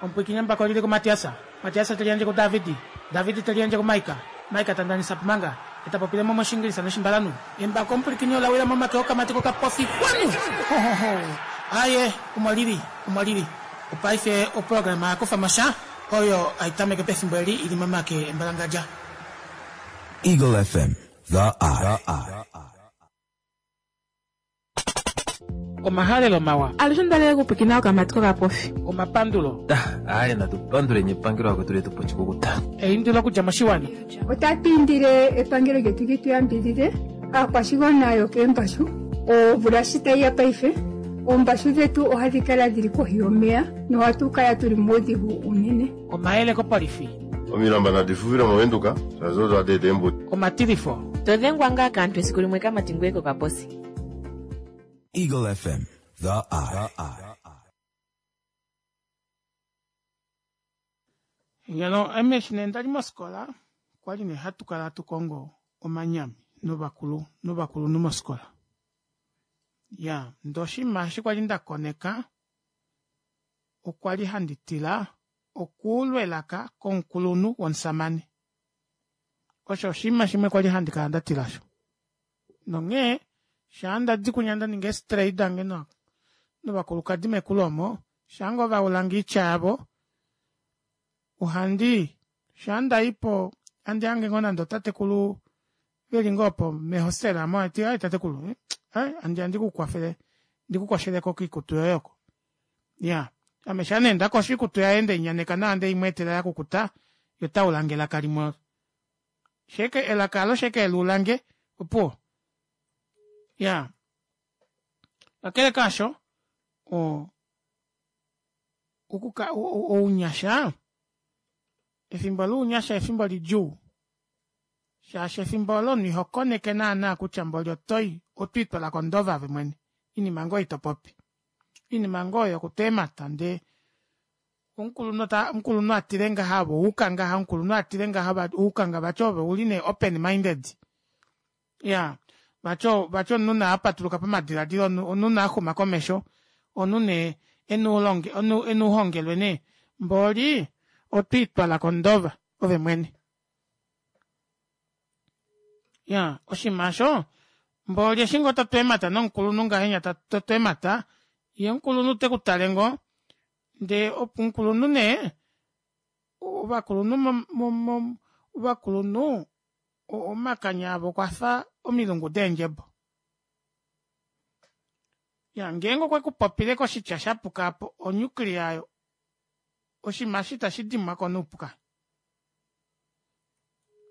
Omupwiikini embako olili kuMatiasa, Matiasa teli yandje kuDavidi, Davidi teli yandje kuMaika, Maika ta ndanisa pomanga, eta popile mo mOshingilisa nOshimbalanhu. Embako omupwilikini ola wila momake okamati kokapofi xwanu! Hohoho! Aaye, omo lili, omo lili. Opaife oprograma ya Kufa mo Sha oyo hai tameke pefimbo eli ili momake embalangadja. Eagle F M, The Eye. Omahalelo mawa. Alushe ondalele okupwiikina okamati kokapofi. Omapandulo. Aye, natu panduleni epangelo akwetu letu pochikukuta. Eindilo okudja moshiwana. Otatu indile epangelo lyetu li tu yambidhidhe aakwashigwana yokeembashu omvula shi tayi ya paife oombashu dhetu ohadhi kala dhili kohi yomeya nohatu kala tuli muudhigu unene. Omayele kopolifi. Omilamba nadi fufile mOvenduka shaashi odo hadi eta eembuto. Omatilifo. To dhengwa ngaa kaantu esiku limwe kamati ngoye kokaposi. Eagle F M, The Eye. Ngeno ame eshi nee ndali mofikola okwali nee hatu kala hatu kongo omanyami novakulu novakulunhu mofikola. Iyaa ndee oshinima eshi kwali ndakoneka okwali handi tila okuulwa elaka komukulunhu womushamane. Osho oshinima shimwe kwali handi kala ndatila osho. Nonghee shaa ndadi kunya ndaninga eestray dange novakulukadi mekulu omo shaangoo vaulange oitya yavo ohandi shaa ndaipo handi hange ngoo nande otatekulu veli ngoo opo mehostela aamo haiti aaye tatekulu aaye handiya ndikukwafele ndikukosheleko koikutu yoye oko. Iyaa ame shaa nee ndakosho oikutu yaye ndeinyaneka nawa ndeimweetela yakukuta yee otaulange elaka limwe olo shee elaka aalo shee keluulange opuwo iyaa kakele kaasho oo okuka ounyasha efimbo lounyasha efimbo lidjuu shaashi efimbo oolo omunhu ihokoneke naana kutya mboli otoyi otwiitwala kondova ove mwene oinima ngoo ei topopi oinima ngoo oyo yokutwa eemata ndee omukulunhu omukulunhu atile ngaha ove owayuka ngaha omukulunhu atile ngaha owayuka ngaha vati ove ouli nee open minded iyaa vati vati omunhu nee apatuluka pamadilaadilo omunhu nee axuma komesho omunhu nee ena ouhongelwe nee mboli otwiitwala kondova ove mwene. Iyaa oshinima aasho mboli eshi ngoo totu eemata nomukulunhu ngahenya totu eemata yee omukulunhu tekutale ngoo ndee omukulunhu nee ovakulunhu mo- mo ovakulunhu omakanya avo okwafa omilungu deendjebo. Iyaa ngeenge okwekupopile koshitya shapuka aapo o nuclear aayo oshinima aasho ita shidimwako noupu kaya.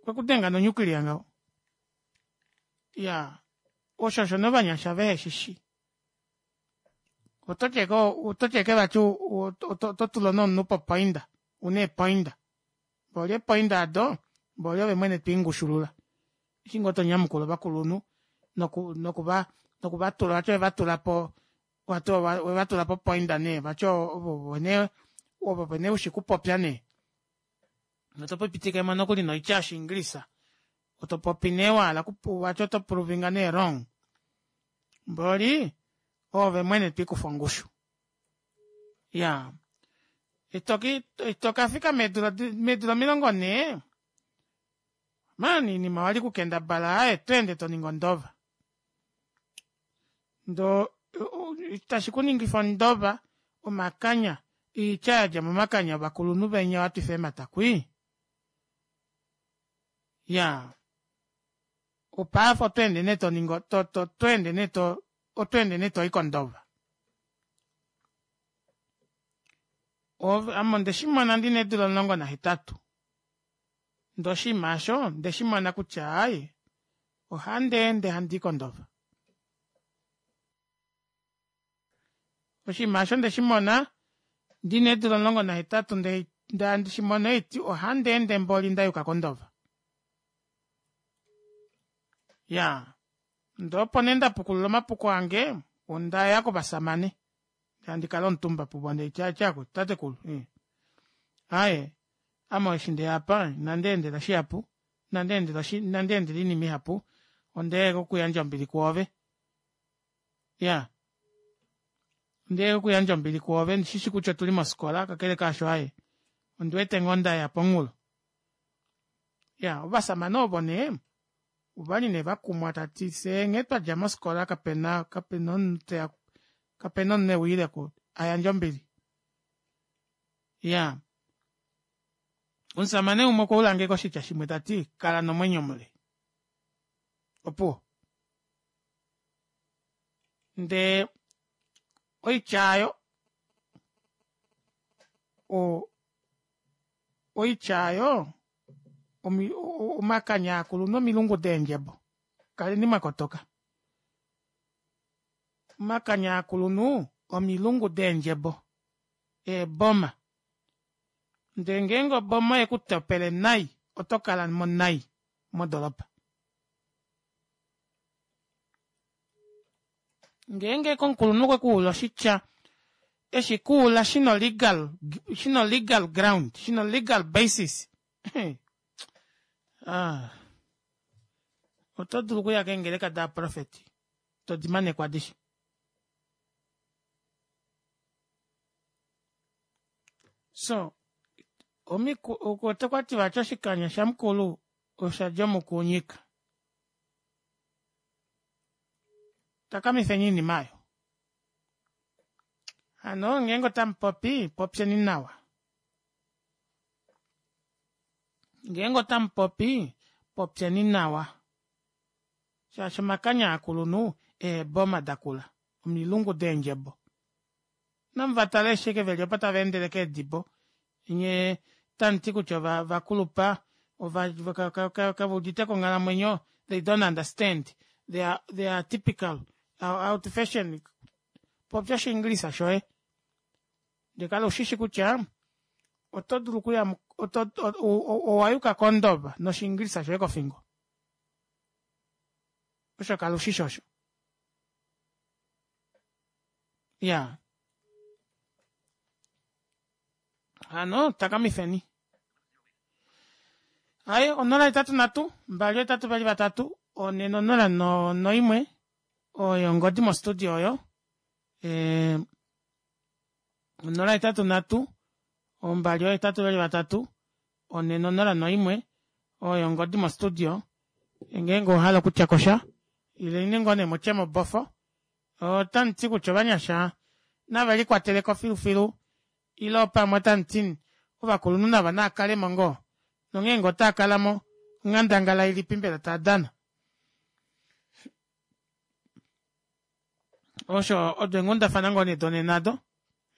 Okwekudenga no nuclear ngaho. Iyaa osho osho nee ovanyasha veheshishi. Ototi ashike ototi ashike vati ototula nee omunhu popoinda una eepoinda mboli eepoinda aado mboli ove mwene twiingushulula eshi ngoo tonyamukula ovakulunhu noku nokuva nokuvatula vati owevatulapo vati owevatula popoinda nee vati ovo nee ovo nee ushi okupopya nee otopitikemo nokuli noitya yoshiingilisa topopi nee wahala vati oto puluvinga nee wrong mboli oove mwene twikufa ongushu. Iyaa itokafika meedula meedula omilongo nhee mani oinima wali okukendabala aaye otweende toningi ondova ndoo tashi kuningifa ondova omakanya oitya yadja momakanya ovakulunhu venya watwifa eemata kwii iyaa opaife otweende nee toningi otweende nee otweende nee toyi kondova. Ame ondeshimona ndina eedula omulongo nahetatu ndee oshinima aasho ondeshimona kutya aaye ohandeende handii kondova. Oshinima aasho ondeshimona ndina eedula omulongo nahetatu ndee handi shimono haiti ohandeende mboli ndayuka kondova. Iyaa ndee opo nee ndapukulula omapuko ange ondaya kovashamane ndee handikala omutumba puvo ndeeti akutu tatekulu ii aaye ame eshi ndeya aapa ina ndeendela shihapu ina ndeendela oinima ihapu ondeya ashike okuyandja ombili kwoove. Iyaa Ondiya okuyandja ombili kwoove, ndishishi kutya otuli mofikola kakele kaasho aaye ondiwete ngoo ndaya pomunghulo. Iyaa ovashamane ovo nee ovali nee vakumwa tavati fyee nghee twadja mofikola kapena kapena omunhu teya kapena omunhu euyile ayandje ombili. Iyaa omushamane umwe okwaulange oshitya shimwe tati kala nomwenyo mule opuwo ndee oitya aayo oo oitya aayo omakanya aakulunhu omilungu deendjebo kaleni mwakotoka omakanya aakulunhu omilungu deendjebo eeboma ndee ngeenge oboma oyekutopele nai otokalamo nai modoropa. Ngeenge omukulunhu okwekuula oshitya eshikuula shina o shina legal ground shina legal basis aaa otodulu okuya keengeleka davaprofeti todimaneko adishe. Soo okwati vati oshikanya shamukulu oshadja omukunyika. Takamifeni oinima aayo hano ngeenge otamupopi popyeni nawa ngeenge otamupopi popyeni nawa shaashi omakanya aakulunhu eeboma dakula omilungu deendjebo. Inamuvatala eshi ashike veli opo tavaendele keedibo nyee otamuti kutya ovakulupa kaveuditeko onghalamwenyo they don't understand they are typical out fashion popya oshinglisa shoye ndee kala ushishi kutya otodulu okuya owayuka kondova noshingilisa shoye kofingo osho kala ushishi osho iyaa hano takamifeni aaye onola hetatu nhatu mbali ohetatu vali vatatu onhe nonola noimwe oyo ongodi mo studio oyo ee onola hetatu nhatu ombali oohetatu veli vatatu onhe nonola noimwe oyo ongodi mo studio ngeenge owahala okutyakosha ileni ngoo nee mutye mobofo otamuti kutya ovanyasha navelikwateleko filufilu ile pamwe otamuti ovakulunhu navo naakalemo ngoo nongeenge otaakalamo onghandangala ilipi mbela taadana osho odo eenghundafana ngoo nee donena aado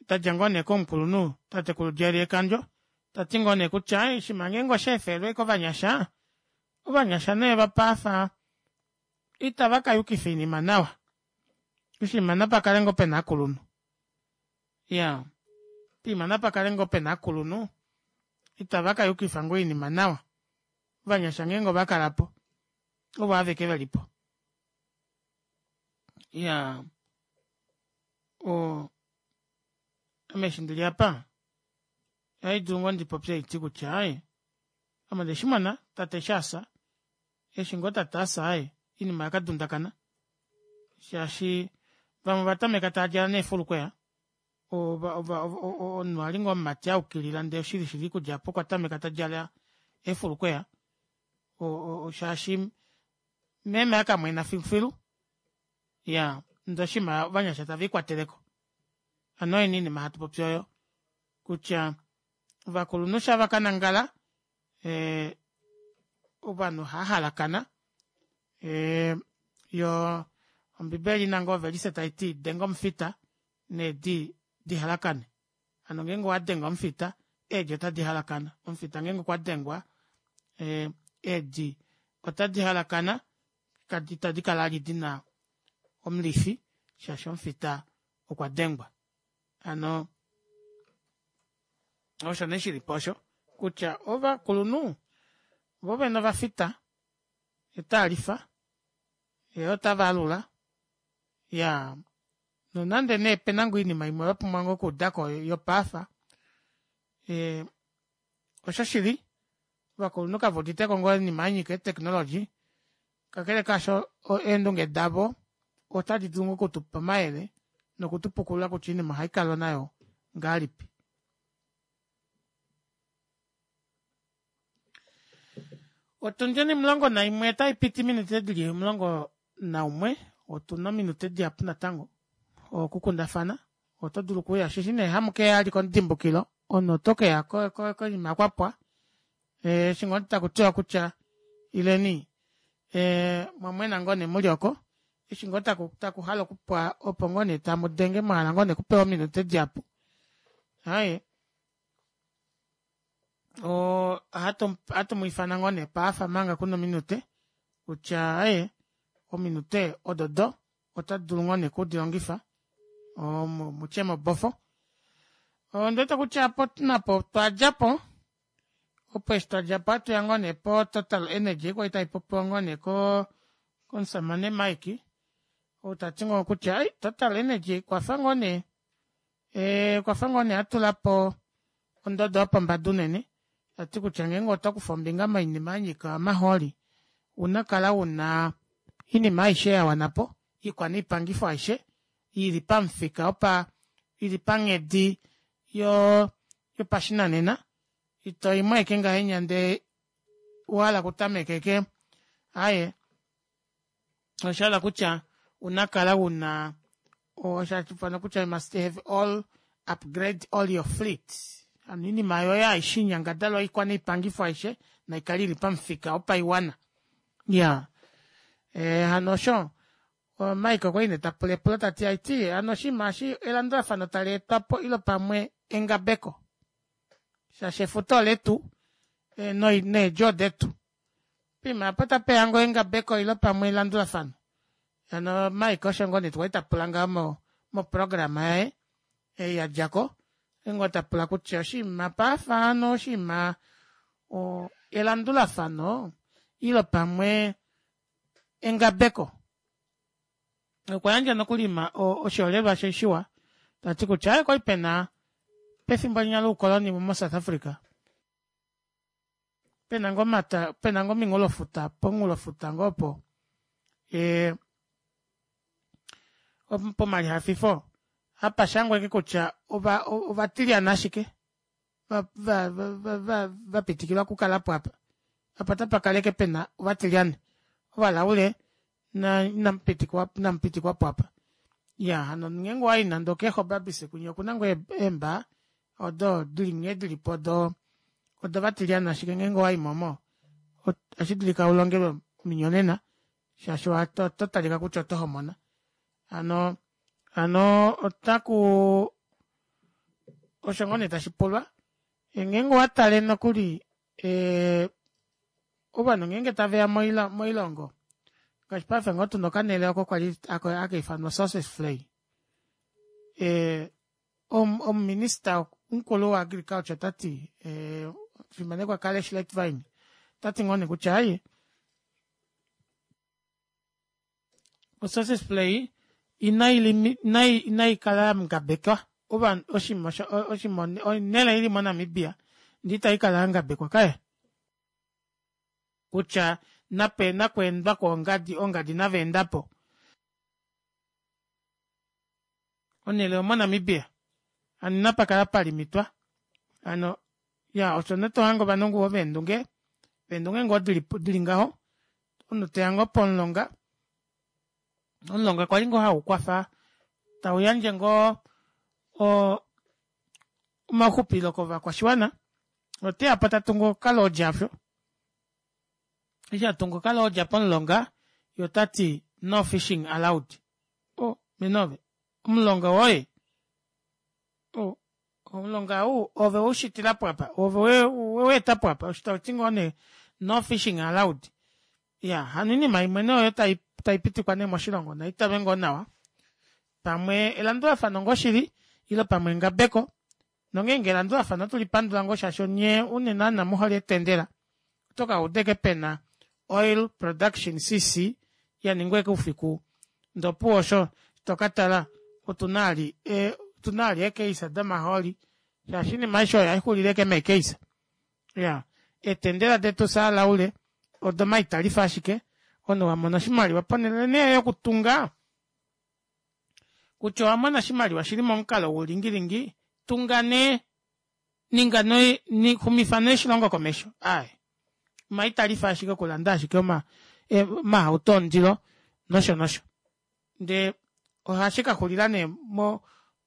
dadja ngoo nee komukulunhu tatekulu Jerry Ekandjo tati ngoo nee kutya oshinima ngeenge oshaefelwe kovanyasha ovanyasha nee vapaafa itava kayukifa oinima nawa oshinima napakale ngoo pena ovakulunhu iyaa poima napakale ngoo pena ovakulunhu itava kayukifa ngoo oinima nawa ovanyasha ngeenge ovakalapo ovo aveke velipo iyaa oo ame eshi ndili aapa ohaidulu ngoo ndipopye haiti kutya aaye ame ondeshimona tate eshi afya eshi ngoo tate afya aaye oinima oyakadundakana shaashi vamwe ovatameka taadjala neefulukweya omunhu ali ngoo omumati ayukilila ndee oshili shili okudja aapo okwatameka tadjala eefulukweya shaashi meme akamwena filufilu iyaa ndee oshinima ovanyasha tave likwateleko hano oyo nee oinima hatu popi oyo kutya ovakulunhu shaa vakanangala ee ovanhu ohaahalakana ee yoo ombibeli oina ngoo ovelise taiti denga omufita needi dihalakane hano ngeenge owadenge omufita eedi ota dihalakana omufita ngeenge okwadengwa eedi ota dihalakana ita dikala vali dina omulifi shaashi omufita okwadengwa hano osho nee shilipo osho kutya ovakulunhu voo vene ovafita otaalifa voo otavaalula iyaa nonande nee opena ngoo oinima imwe vapumbwa ngoo okuudako yopaafa ee oshoshili ovakulunhu kaveuditeko ngoo oinima yanyika ee technology kakele kaasho eendunge davo ota didulu ngoo okutupa omayele Nokutupukulula kutya oinima ohaikalwa nayo ngahelipi. Otundi onimulongo naimwe otaipiti ominute dili omulongo naumwe otuna ominute dihapu natango okukundafana otodulu okuuya shaashi nee hamukeya vali komudimbukilo omunhu otokeya koima kwapwa eshi ngoo takutiwa kutya ileni mwamwena ngoo nee muli oko eshi ngoo takuhale okupwa opo ngoo nee tamudenge mwahala ngoo nee okupewa ominute dihapu aaye oo ohatu mwiifana ngoo nee paife omanga kuna ominute kutya aaye ominute ododo otadulu ngoo nee okudilongifa mutye mobofo ondiwete kutya opo napo otwadjapo opo eshi twadjapo ohatuya ngoo nee po total energy kwali taipopiwa ngoo nee koo komushamane Mike ou tati ngoo kutya total energy okwafa ngoo nee okwafa ngoo nee atulapo ondodo yopombada unene tati kutya ngeenge otokufa ombinga moinima yanyika omahooli ouna okukala una oinima aishe yawanapo oikwanoipangifo aishe ili pamufika wopa ili panghedi yoo yopashinanena itoyimo ashike ngahenya ndee owahala okutameka ashike aaye oshahala kutya ouna okukala una osho hashiifanwa kutya you must have all upgrade all your fleet hano oinima yoye aishe oinyangadalwa oikwanoipangifo aishe naikale ili pamufika wopaiwana iyaa hano osho Mike okwali nee tapula epulo tati haiti hano oshinima eshi elandulafano taleetwapo ile pamwe engabeko shaashi efuta oletu needjo odetu poima aapo otapeya ngoo engabeko ile pamwe elandulafano hano Mike osho ngoo nee kwali tapula ngaho moprograma yaye ei yadjako okwali ngoo tapula kutya oshinima paife hano oshinima elandulafano ile pamwe engabeko okwa yandja nokuli oshiholelwa shiwa tati kutya aaye okwali pena pefimbo linya loukoloni mo south Africa pena ngoo omata pena ngoo ominghulofuta pomunghulofuta ngoo opo pomalihafifo hapashangwa ashike kutya ovatilyane ashike vapitikilwa okukalapo aapa apa otapakala ashike pena ovatilyane ovalaule inamupitikwapo aapa iyaa hano ngeenge owayi nande okee gobabis kwinya okuna ngoo eembaa odo dili nghee dilipo odo odovatilyane ashike ngeenge owayimo omo ohashidulika ulongelwe ominyonena shaashi oto talika kutya oto homona hano hano otaku osho ngoo nee tashipulwa ngeenge owatale nokuli ovanhu ngeenge taveya moilongo ngaashi paife ngoo tuna okanele oko kwali hakaifanwa sossusvlei omuminister mukulu wo agriculture otati omufimanekwa Calle Schlettwein otati ngoo nee kutya aaye o sossusvlei inaikala yangabekwa oshinima onele ili mo namibia ndee itaikala yangabekwa kaye kutya nakweendwa kongadi ongadi naveendapo onele omo namibia hano inapakala palimitwa hano iyaa osho nee tohange ovanhu ngoo veendunge eendunge ngoo dili ngaho omunhu toya ngoo pomulonga omulonga kwali ngoo haukwafa tauyandje ngoo omaxupilo kovakwashiwana oteyapo tatungu oka lodge aasho eshi atunga oka lodge pomulonga yee otati no fishing allowed oh mene ove omulonga woye oh omulonga ou ove weushitilako aapa ove weweetapo apa eshi tauti ngoo nee no fishing allowed iyaa hano oinima imwe nee oyo taipitikwa nee moshilongo naitalwe ngoo nawa pamwe elandulafano ngoo shili ile pamwe engabeko nongeenge elandulafano otulipandula ngoo shaashi onyee unene naana muhole eetendela otokauda ashike pena oil production C_C yaningwa ashike oufiku ndee opuwo osho tokatala otuna vali otuna vali eecase domahooli shaashi oinima aishe oyo ohaixulile ashike mee case iyaa eetendela detu fyee valaule odimaitalifa ashike omunhu wamona oshimaliwa ponele nee yokutunga Kutya owamona oshimaliwa shili momukalo woulingilingi, tunga nee ninga nee xumifa nee oshilongo komesho aaye omaitalifa ashike okulanda ashike oma omahauto ondilo nosho nosho ndee ohashikaxulila nee mo-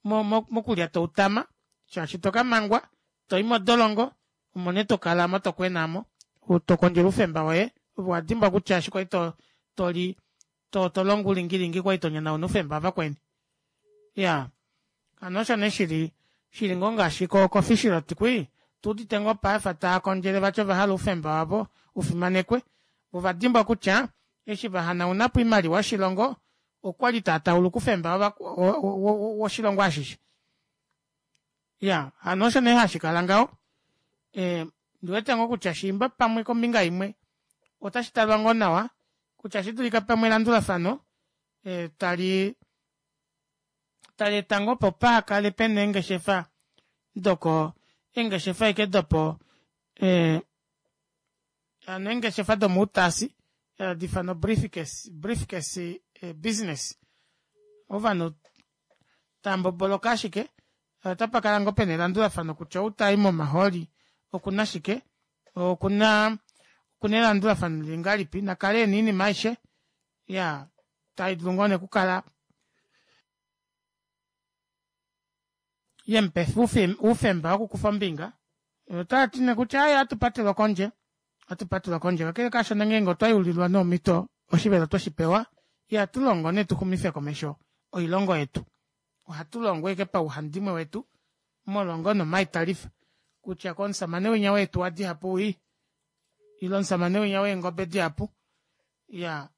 mo mokulyata outama shaashi tokamangwa toyi modolongo omo nee tokala aamo tokwena aamo tokondjele oufemba woye ove owadimbwa kutya eshi kwali toli tolongo oulingilingi okwali tonyonauna oufemba wavakweni iyaa hano osho nee shili shili ngoo ngaashi ko fishrot kwii otuudite ngoo paife taakondjele vati ovahala oufemba wavo ufimanekwe voo ovadimbwa kutya eshi vahanaunapo oimaliwa yoshilongo okwali taatauluka oufemba woshilongo ashishe iyaa hano osho nee hashikala ngaho ee ondiwete ngoo kutya shiimba pamwe kombinga imwe otashitalwa ngoo nawa kutya oshidulika pamwe elandulafano tali taleeta ngoo opo pahakale pena eengeshefa doko eengeshefa ashike dopo hano eengeshefa domoutaasi hadi ifanwa briefcase business ovanhu tamboboloka ashike otapakala ngoo pena elandulafano kutya ou tai momahooli okuna shike okuna okuna elandulafano lili ngahelipi nakale ena oinima aishe iyaa taidulu ngoo nee okukala yemupefa oufemba wokukufa ombinga otavati nee kutya aaye ohatu patelwa kondje ohatu patelwa kondje kakele kaasho ngeenge otwa yeululilwa nee omito oshivelo otweshipewa ihatulongo nee tuxumife komesho oilongo yetu ohatulongo ashike pauhandimwe wetu molwa ngoo nee omaitalifa kutya komushamane winya weetuwa dihapu wii ile omushamane winya weengobe dihapu iyaa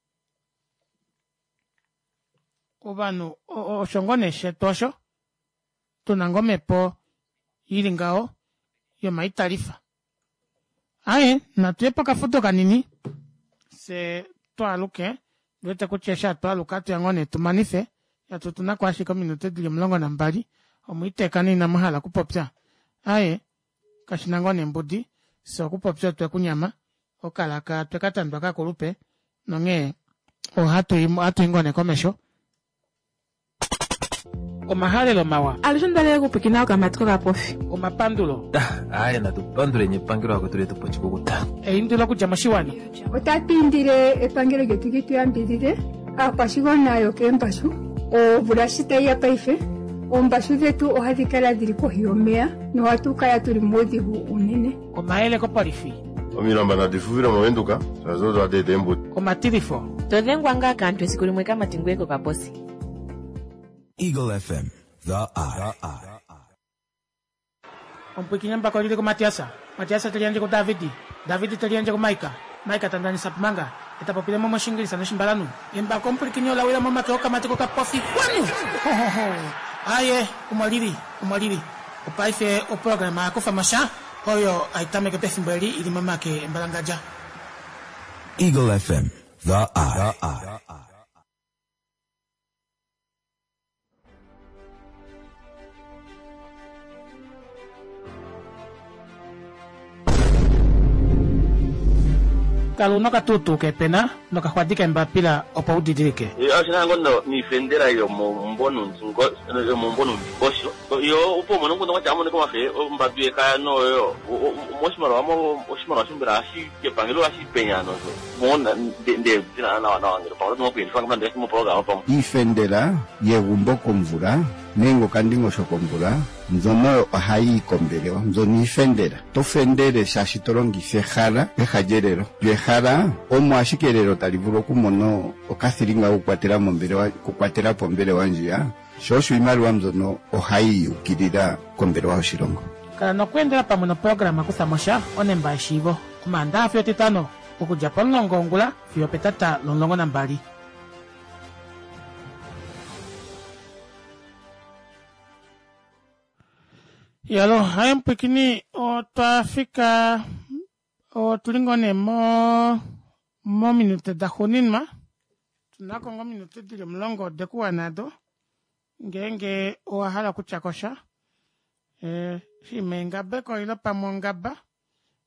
ovanhu osho ngoo nee shetu osho tuna ngoo omepo ili ngaho yomaitalifa aaye natuye pokafudo kanini fyee twaaluke ondiwete kutya eshi hatwaaluka ohatuya ngoo nee tumanife shaashi otunako ashike ominute dili omulongo nambali omwiiteka nee inamuhala okupopya aaye kashina ngoo nee mbudi fyee okupopya otwekunyama okalaka otwekatandwa kakulupe nonghee ohatui ngoo nee komesho omahalelo mawa Alushe ondalele okupwiikina okamati kokapofi. Omapandulo. Aaye natu panduleni epangelo lakwetu letu po oshikukuta. Eindilo okudja moshiwana. Otatu indile epangelo lyetu li tu yambidhidhe aakwashigwana yokeembashu omvula shi tayi ya paife oombashu dhetu ohadhi kala dhili kohi yomeya nohatu kala tuli muudhigu uunene. Omayele kopolifi. Omilamba nadi fuvile mOvenduka shaashi odo hadi eta eembuto. Omatilifo. To dhengwa ngaa kaantu esiku limwe kamati ngweye kokaposi. Eagle F M, The Eye. Omupwiikini embako olili kuMatias, Matias te liyandje kuDavid, David te liyandje kuMaika, Maika ta ndanisa Pumanga, ye ta popile mo mOshingilisa nOshimbalanhu. Embako omupwilikini ola wila momake okamati kokapofi kwanu! Ho, ho, ho! Aaye, omo lili, omo lili. Opaife oprograma ya kufa mo sha, oyo hai tameke pefimbo eli i li momake embalangadja. Eagle F M, The Eye. Kala una okatuutuu keepena nokaxwadi keembapila opo u didilike. Oshina ngoo noifendela yomomumbo nomundingosho yo opo umone omukundu kwatya amonike omafe ombadu yekaya noyo moshimaliwa oshimaliwa mbela ohashi epangelo ohashi penya nosho ndee nawa nawa ngele pamwe oto dulu okuyelifa pamwe. Iifendela yegumbo komvula nenge okandingosho komvula mbyono ohayi yi kombelewa mbyono iifendela. To fendele shaashi to longitha ehala peha lyelelo. Lyo ehala omo ashike elelo tali vulu okumona okathilinga kokukwatela mombelewa okukwatela po ombelewa ndjiya, sho osho iimaliwa mbyono ohayi yukilila kombelewa yoshilongo. Kala nokweendela pamwe noprograma Kutha mo sha onemba yeshiivo Omaandaxa fiyo Etitano okudja pomulongo wongula fiyo opetata lomulongo nambali. Yalo, haye mupwikini otwa fika otuli ngoo nee mo mominute daxuuninwa tunako ngoo ominute dili omulongo odekuwana ado ngeenge owahala okutya kosha shima engabeko ile pamwe ongaba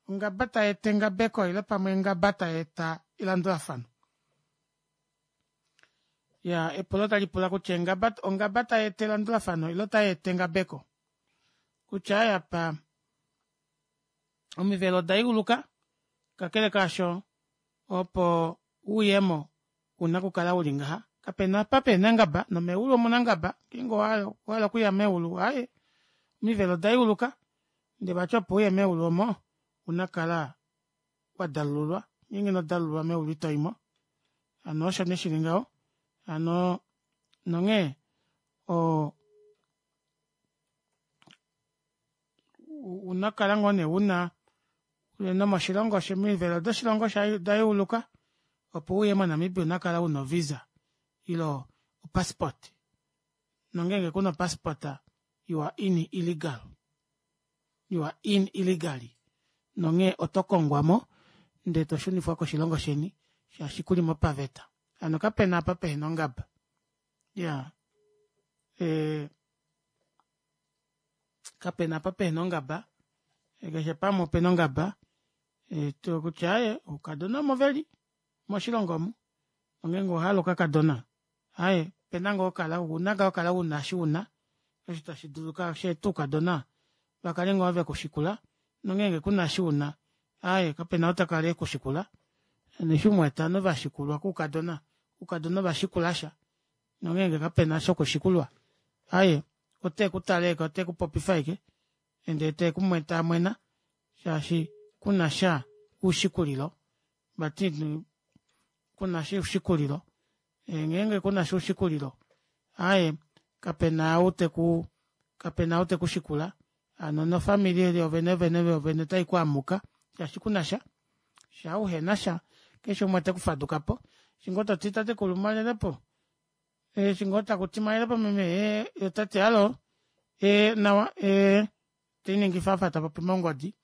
ongaba tayeeta engabeko ile pamwe ongaba tayeeta elandulafano. Ya epulo talipula kutya engaba ongaba tayeeta elandulafano ile otayeeta engabeko kutya aaye apa omivelo odayeuluka kakele kaasho opo uyemo ouna okukala uli ngaha kapena apa pehena ongaba nomeulu omuna ongaba ngeenge owahala okuya meulu aaye omivelo odayeuluka ndee vati opo uye meulu omo ouna okukala wadalululwa ngeenge inodalululwa meulu itoyimo hano osho nee shili ngaho hano nonghee oo ouna okukala ngoo nee una nomoshilongo omivelo doshilongo odayeuluka opo uye mo namibia ouna okukala una o visa ile o passport nongenge kuna o passport you are in illegal you are in illegally nonghee oto kongwamo ndee toshunifwa koshilongo sheni shaashi kulimo paveta hano kapena apa pehena ongaba iyaa ee kapena apa pehena ongaba keshe pamwe opena ongaba kutya aaye oukadona omo veli moshilongo omu nongenge owahala okakadona aaye opena ngoo okukala ouna ngoo okukala una eshi una osho tashi dulu sheete oukadona vakale ngoo vekushikula nongenge kuna eshi una aaye kapena ou takala ekushikula hano eshi umuwete ovanhu vashikulwa koukadona oukadona ovashikulasha nongenge kapena shokushikulwa aaye otekutale ashike otekupopifa ashike ndee tamwena shaashi kunasha oushikulilo vati kunasha oushikulilo ngeenge kunasha oushikulilo aaye kapena ou teku kapena ou tekushikula hano nofamili yoovene vene ota ikwaamuka shaashi kunasha shaa uhenasha keshe umwe otekufadukapo eshi ngoo toti tatekulu mwalelepo eshi ngoo takuti mwalelepo meme ee yee otati hallo ee nawa ee teliningifa afa tapopi mongodi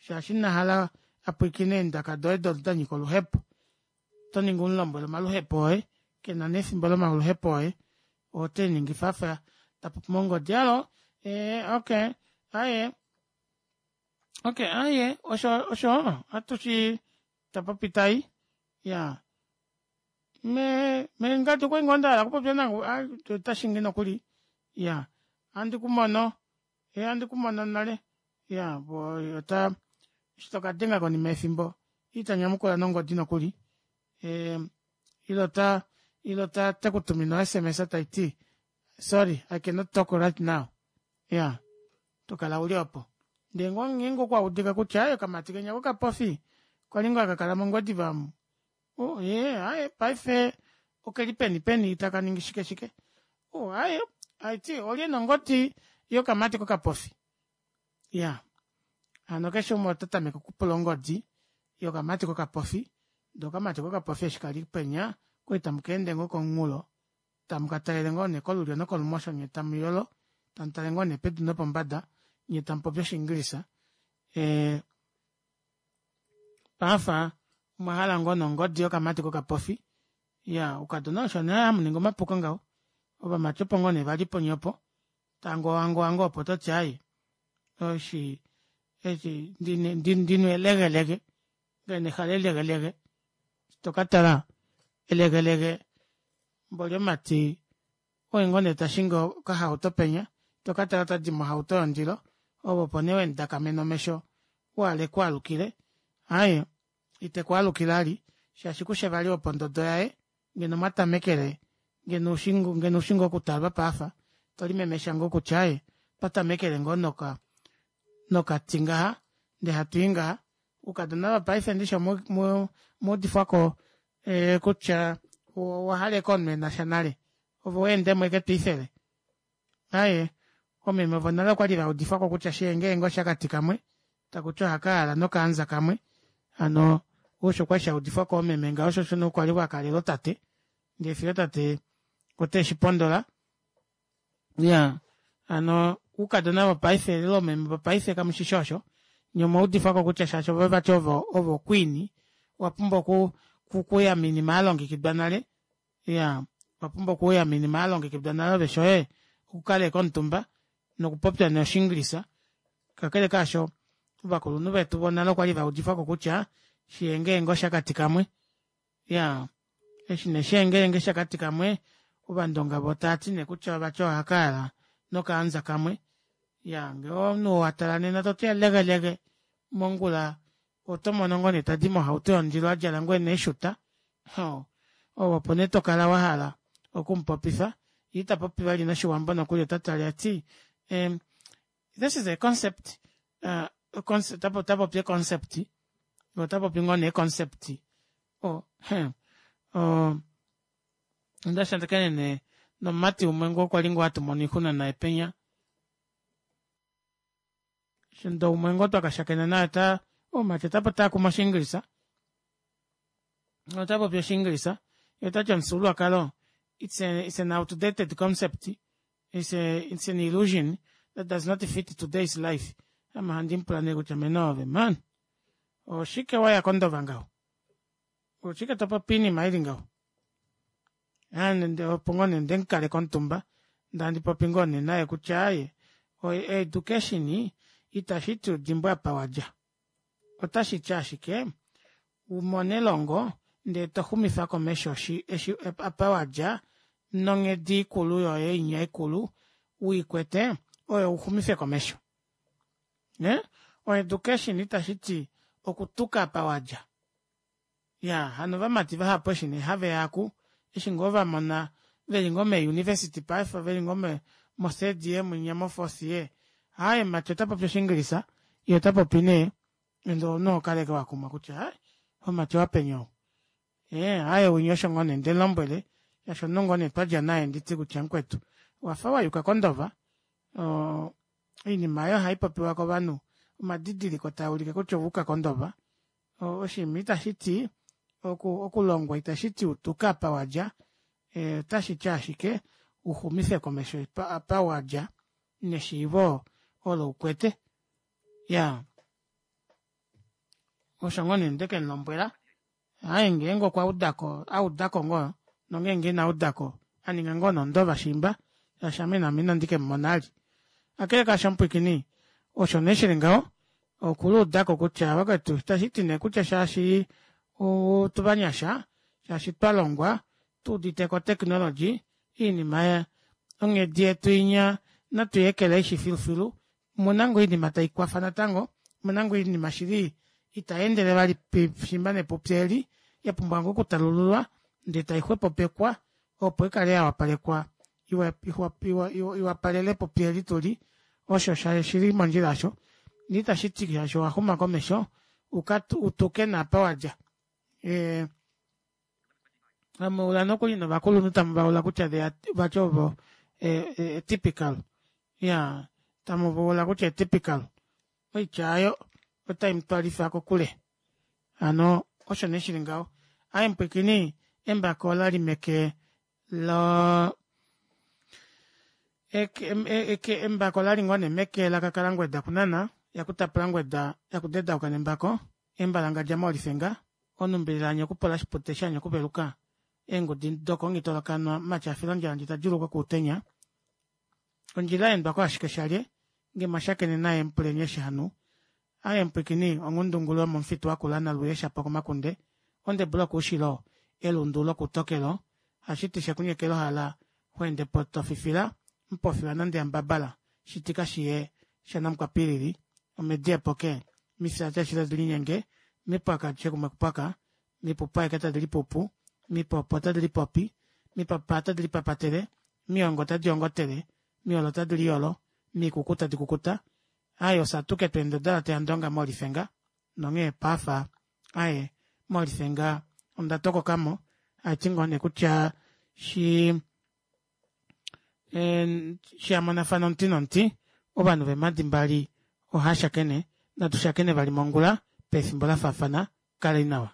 shaashi inahala apwiikine eendaka doye odo danyika oluhepo otoningi umulombwele omaluhepo oye kena nee efimbo lomaluhepo oye oteliningifa afa tapopi mongodi hallo ee okey aaye okey aaye osho osho ohatushi tapopi tayi iyaa mee mengadi okwali ngoo ndahala okupopya naave otashingi nokuli iyaa ohandi kumono ee ohandi kumono nale iyaa ota eshi tokadenga konima yefimbo itanyamukula nongodi nokuli ee ile ota ile otekutumine o sms taiti sorry I cannot talk right now iyaa tokala uli oopo ndee ngeenge okwaudika kutya aaye okamati kenya kokapofi kwali ngoo hakakala mongwediva omu oo ee aaye paife okeli peni peni takaningi shike shike oo aaye haiti olye ena ongodi yokamati kokapofi iyaa hano keshe umwe otatameke okupula ongodi yokamati kokapofi ndee okamati kokapofi eshi kali penya okwali tamukeende ngoo komunghulo tamukatalele ngoo nee kolulyo nokolumosho nyee tamuyolo tamutale ngoo nee pedu nopombada nyee tamupopi oshingilisha ee paife omwahala ngoo nee ongodi yokamati kokapofi iyaa oukadona osho nee hamuningi omapuko ngaho ovamati opo ngoo nee vali punye opo tangowangowa ngoo opo toti aaye oshi eshi ndina elegelege ngenge ehalo elegelege eshi tokatala elegelege mboli omumati oye ngoo nee tashingi okahauto penya tokatala otadi mohauto yondilo ove opo nee wemudakamena omesho uhala ekwaalukile aaye itekwaalukile vali shaashi kushi vali wopondodo yaye ngeno mwatamekele ngeno ushi ngoo okutalwa paife tolimemesha ngoo kutya aaye otwa tamekele ngoo noka nokati ngaha ndee hatwii ngaha oukadona vopaife ndishi omwaudifwako kutya owahala ashike omunhu enasha nale ove weendemo ashike twiifele aaye oomeme vonale okwali vaudifwako kutya shengeenge oshakati kamwe takuti ohakayaala nokaanza kamwe hano osho kwali shaudifwako koomeme ngaho shoo osho nee kwali wakalela otate ndee fiyo tate oteshipondola iyaa hano oukadona vopaife ile oomeme vopaife kamushishi osho nyee omwaudifwako kutya shaashi ove vati ove o queen owapumbwa okuuya moinima yalongekidwa nale iyaa owapumbwa okuuya moinima yalongekidwa nale ove shoye okukala ashike omutumba nokupopya nee oshingilisa kakele kaasho ovakulunhu vetu vonale okwali vaudifwako kutya shengeenge oshakati kamwe iyaa eshi nee shengeenge shakati kamwe Ovandonga voo taati nee kutya vati ohakayala nokaanza kamwe. Iyaa ngee omunhu watala nena toti elegelege mongula oto mono ngoo nee tadi mohauto yondilo adjala ngoo nee eeshuta oo opo nee tokala wahala okumupopifa yee itapopi vali noshiwambo nokuli otatale tati ehm this is a concept otapopi ee concept otapopi ngoo nee ee concept oo oo ondashakenene nomumati umwe ngoo kwali ngoo hatumono oixuna naye penya ndee umwe ngoo twakashakena naye ota omumati otaakuma oshiingilisa otapopi oshiingilisa yee otati omufyuululwakalo it's a, it's an outdated concept it's, a, it's an illusion that does not fit today's life. Ame ohandi mupula nee kutya mene ove man oshike waya kondova ngaho oshike topopi oinima ili ngaho opo ngoo nee ndemukaleka omutumba ndee handi popi ngoo nee naye kutya aaye o education itashiti udimbwe apa wadja otashiti ashike umone elongo ndee toxumifa komesho eshi apa wadja nonghedi ikulu yoye inya ikulu uikwete oyo uxumife komesho ee o education itashiti okutuka apa wadja iyaa hano ovamati vahapu eshi nee haveya aaku eshi ngoo vamona veli ngoo mee university paife veli ngoo mo third year munya mo fourth year aaye mumati otapopi oshiingilisa yee otapopi nee ndee omunhu ohokala ashike wakumwa kutya hai homati owapeni ou ee aaye winya osho ngoo nee ndemulombwele shaashi omunhu ngoo nee twadja naye nditi kutya mukwetu owafa wayuka kondova oo oinima aayo ohaipopiwa kovanhu omadidiliko taaulike kutya owayuka kondova oshinima itashiti okulongwa itashiti utuke apa wadja otashiti ashike uxumife komesho apa wadja neshiivo olo ukwete iyaa osho ngoo nee ndekemulombwela aaye ngeenge okwaudako audako ngoo nongenge inaudako aninga ngoo nee ondova shiimba shaashi ame ina ndikemumona vali kakele kaasho mupwiikini osho nee shili ngaho okuluudako kutya vakwetu itashiti nee kutya shaashi otuvanyasha shaashi twalongwa tuuditeko o technology oinima onghedi yetu inya natu yeekeleishi filufilu omuna ngoo oinima taikwafa natango omuna ngoo oinima shili itayeendele vali shiimba nepupi eli yapumbwa ngoo okutalululwa ndee taixwepopekwa opo ikale yawapalekwa iwapalele epupi eli tuli osho shili mondjila aasho ndee itashiti shaashi owaxuma komesho utuke nee apa wadja ee hamuula nokuli novakulunhu tamuvaula kutya vati ovo typical iyaa tamuvaula kutya typical oitya aayo otaimutwalifa kokule hano osho nee shili ngaho aaye mupwiikini embako olali meke loo embako olali ngoo nee meke lakakalangweda kunana yakutapula ngweda yakudedauka nembako embalangadja moolifenga onumbilila yanya okupola oshipute shanya okuveluka eengudi dokonghitolokanwa mumati afila ondjala ndee tadjuulukwa okuutenya ondjila yaendwa ashike shalye ngee mwashakene naye mupuleni eshi hanu aaye mupwiikini onghundungulu yomomufitu wakula naluye shapo komakunde ondebula okoushilo elundu lokutokelo hashiti shekunyekela ohala xweendepo tofifila mupofi wanande yambabala shitika shiye shanamukwapilili omedi epoke mifya adishe tadi linyenge mipwaka adishe kumwe okupwaka mipupu aike tadi lipupu mipopo tadi lipopi mipapa otadi lipapatele miongo otadi ongotele miyolo otadi liyolo mikuku tadi kukuta aaye ofye atuke tweenda odalate yandonga moolifenga nonghee paafa aaye moolifenga onda tokokamo haiti ngoo nee kutya shi shamonafana omuti nomuti ovanhu veemadi mbali ohashakene natu shakene vali mongula pefimbo lafaafana kaleni nawa.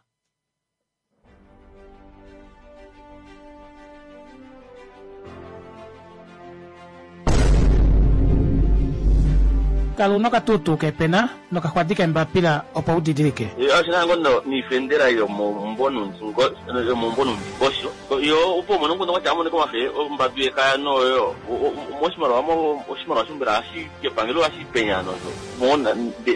Kala una okatuutuu keepena nokaxwadi keembapila opo udidilike. Oshina ngoo niifendela yomomumbo nomundingosho yo opo umone omukundu kwatya amonike omafe ombadu yekaya noyo moshimaliwa oshimaliwa shombela hashi kepangelo hashi penya nosho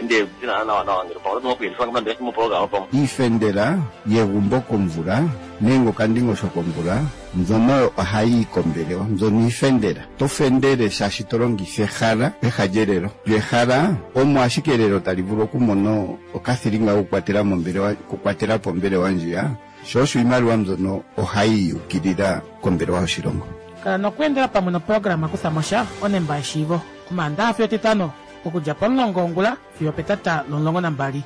ndee nawa nawa ngele pamwe oto okuyelifa nande moprograma pamwe Iifendela yegumbo komvula nenge okandingosho komvula Mbyono ohayi yi kombelewa, mbyono iifendela. To fendele shaashi to longitha ehala peha lyelelo. Lyo ehala omo ashike elelo tali vulu okumona okathilinga kokukwatela mombelewa, okukwatela po ombelewa ndjiya, sho osho iimaliwa mbyono ohayi yi ukilila kombelewa yoshilongo. Kala nokweendela pamwe noprograma Kuthamosha onemba yeshiivo, Omaandaxa fiyo Etitano okudja pomulongo wongula fiyo opetata lomulongo nambali.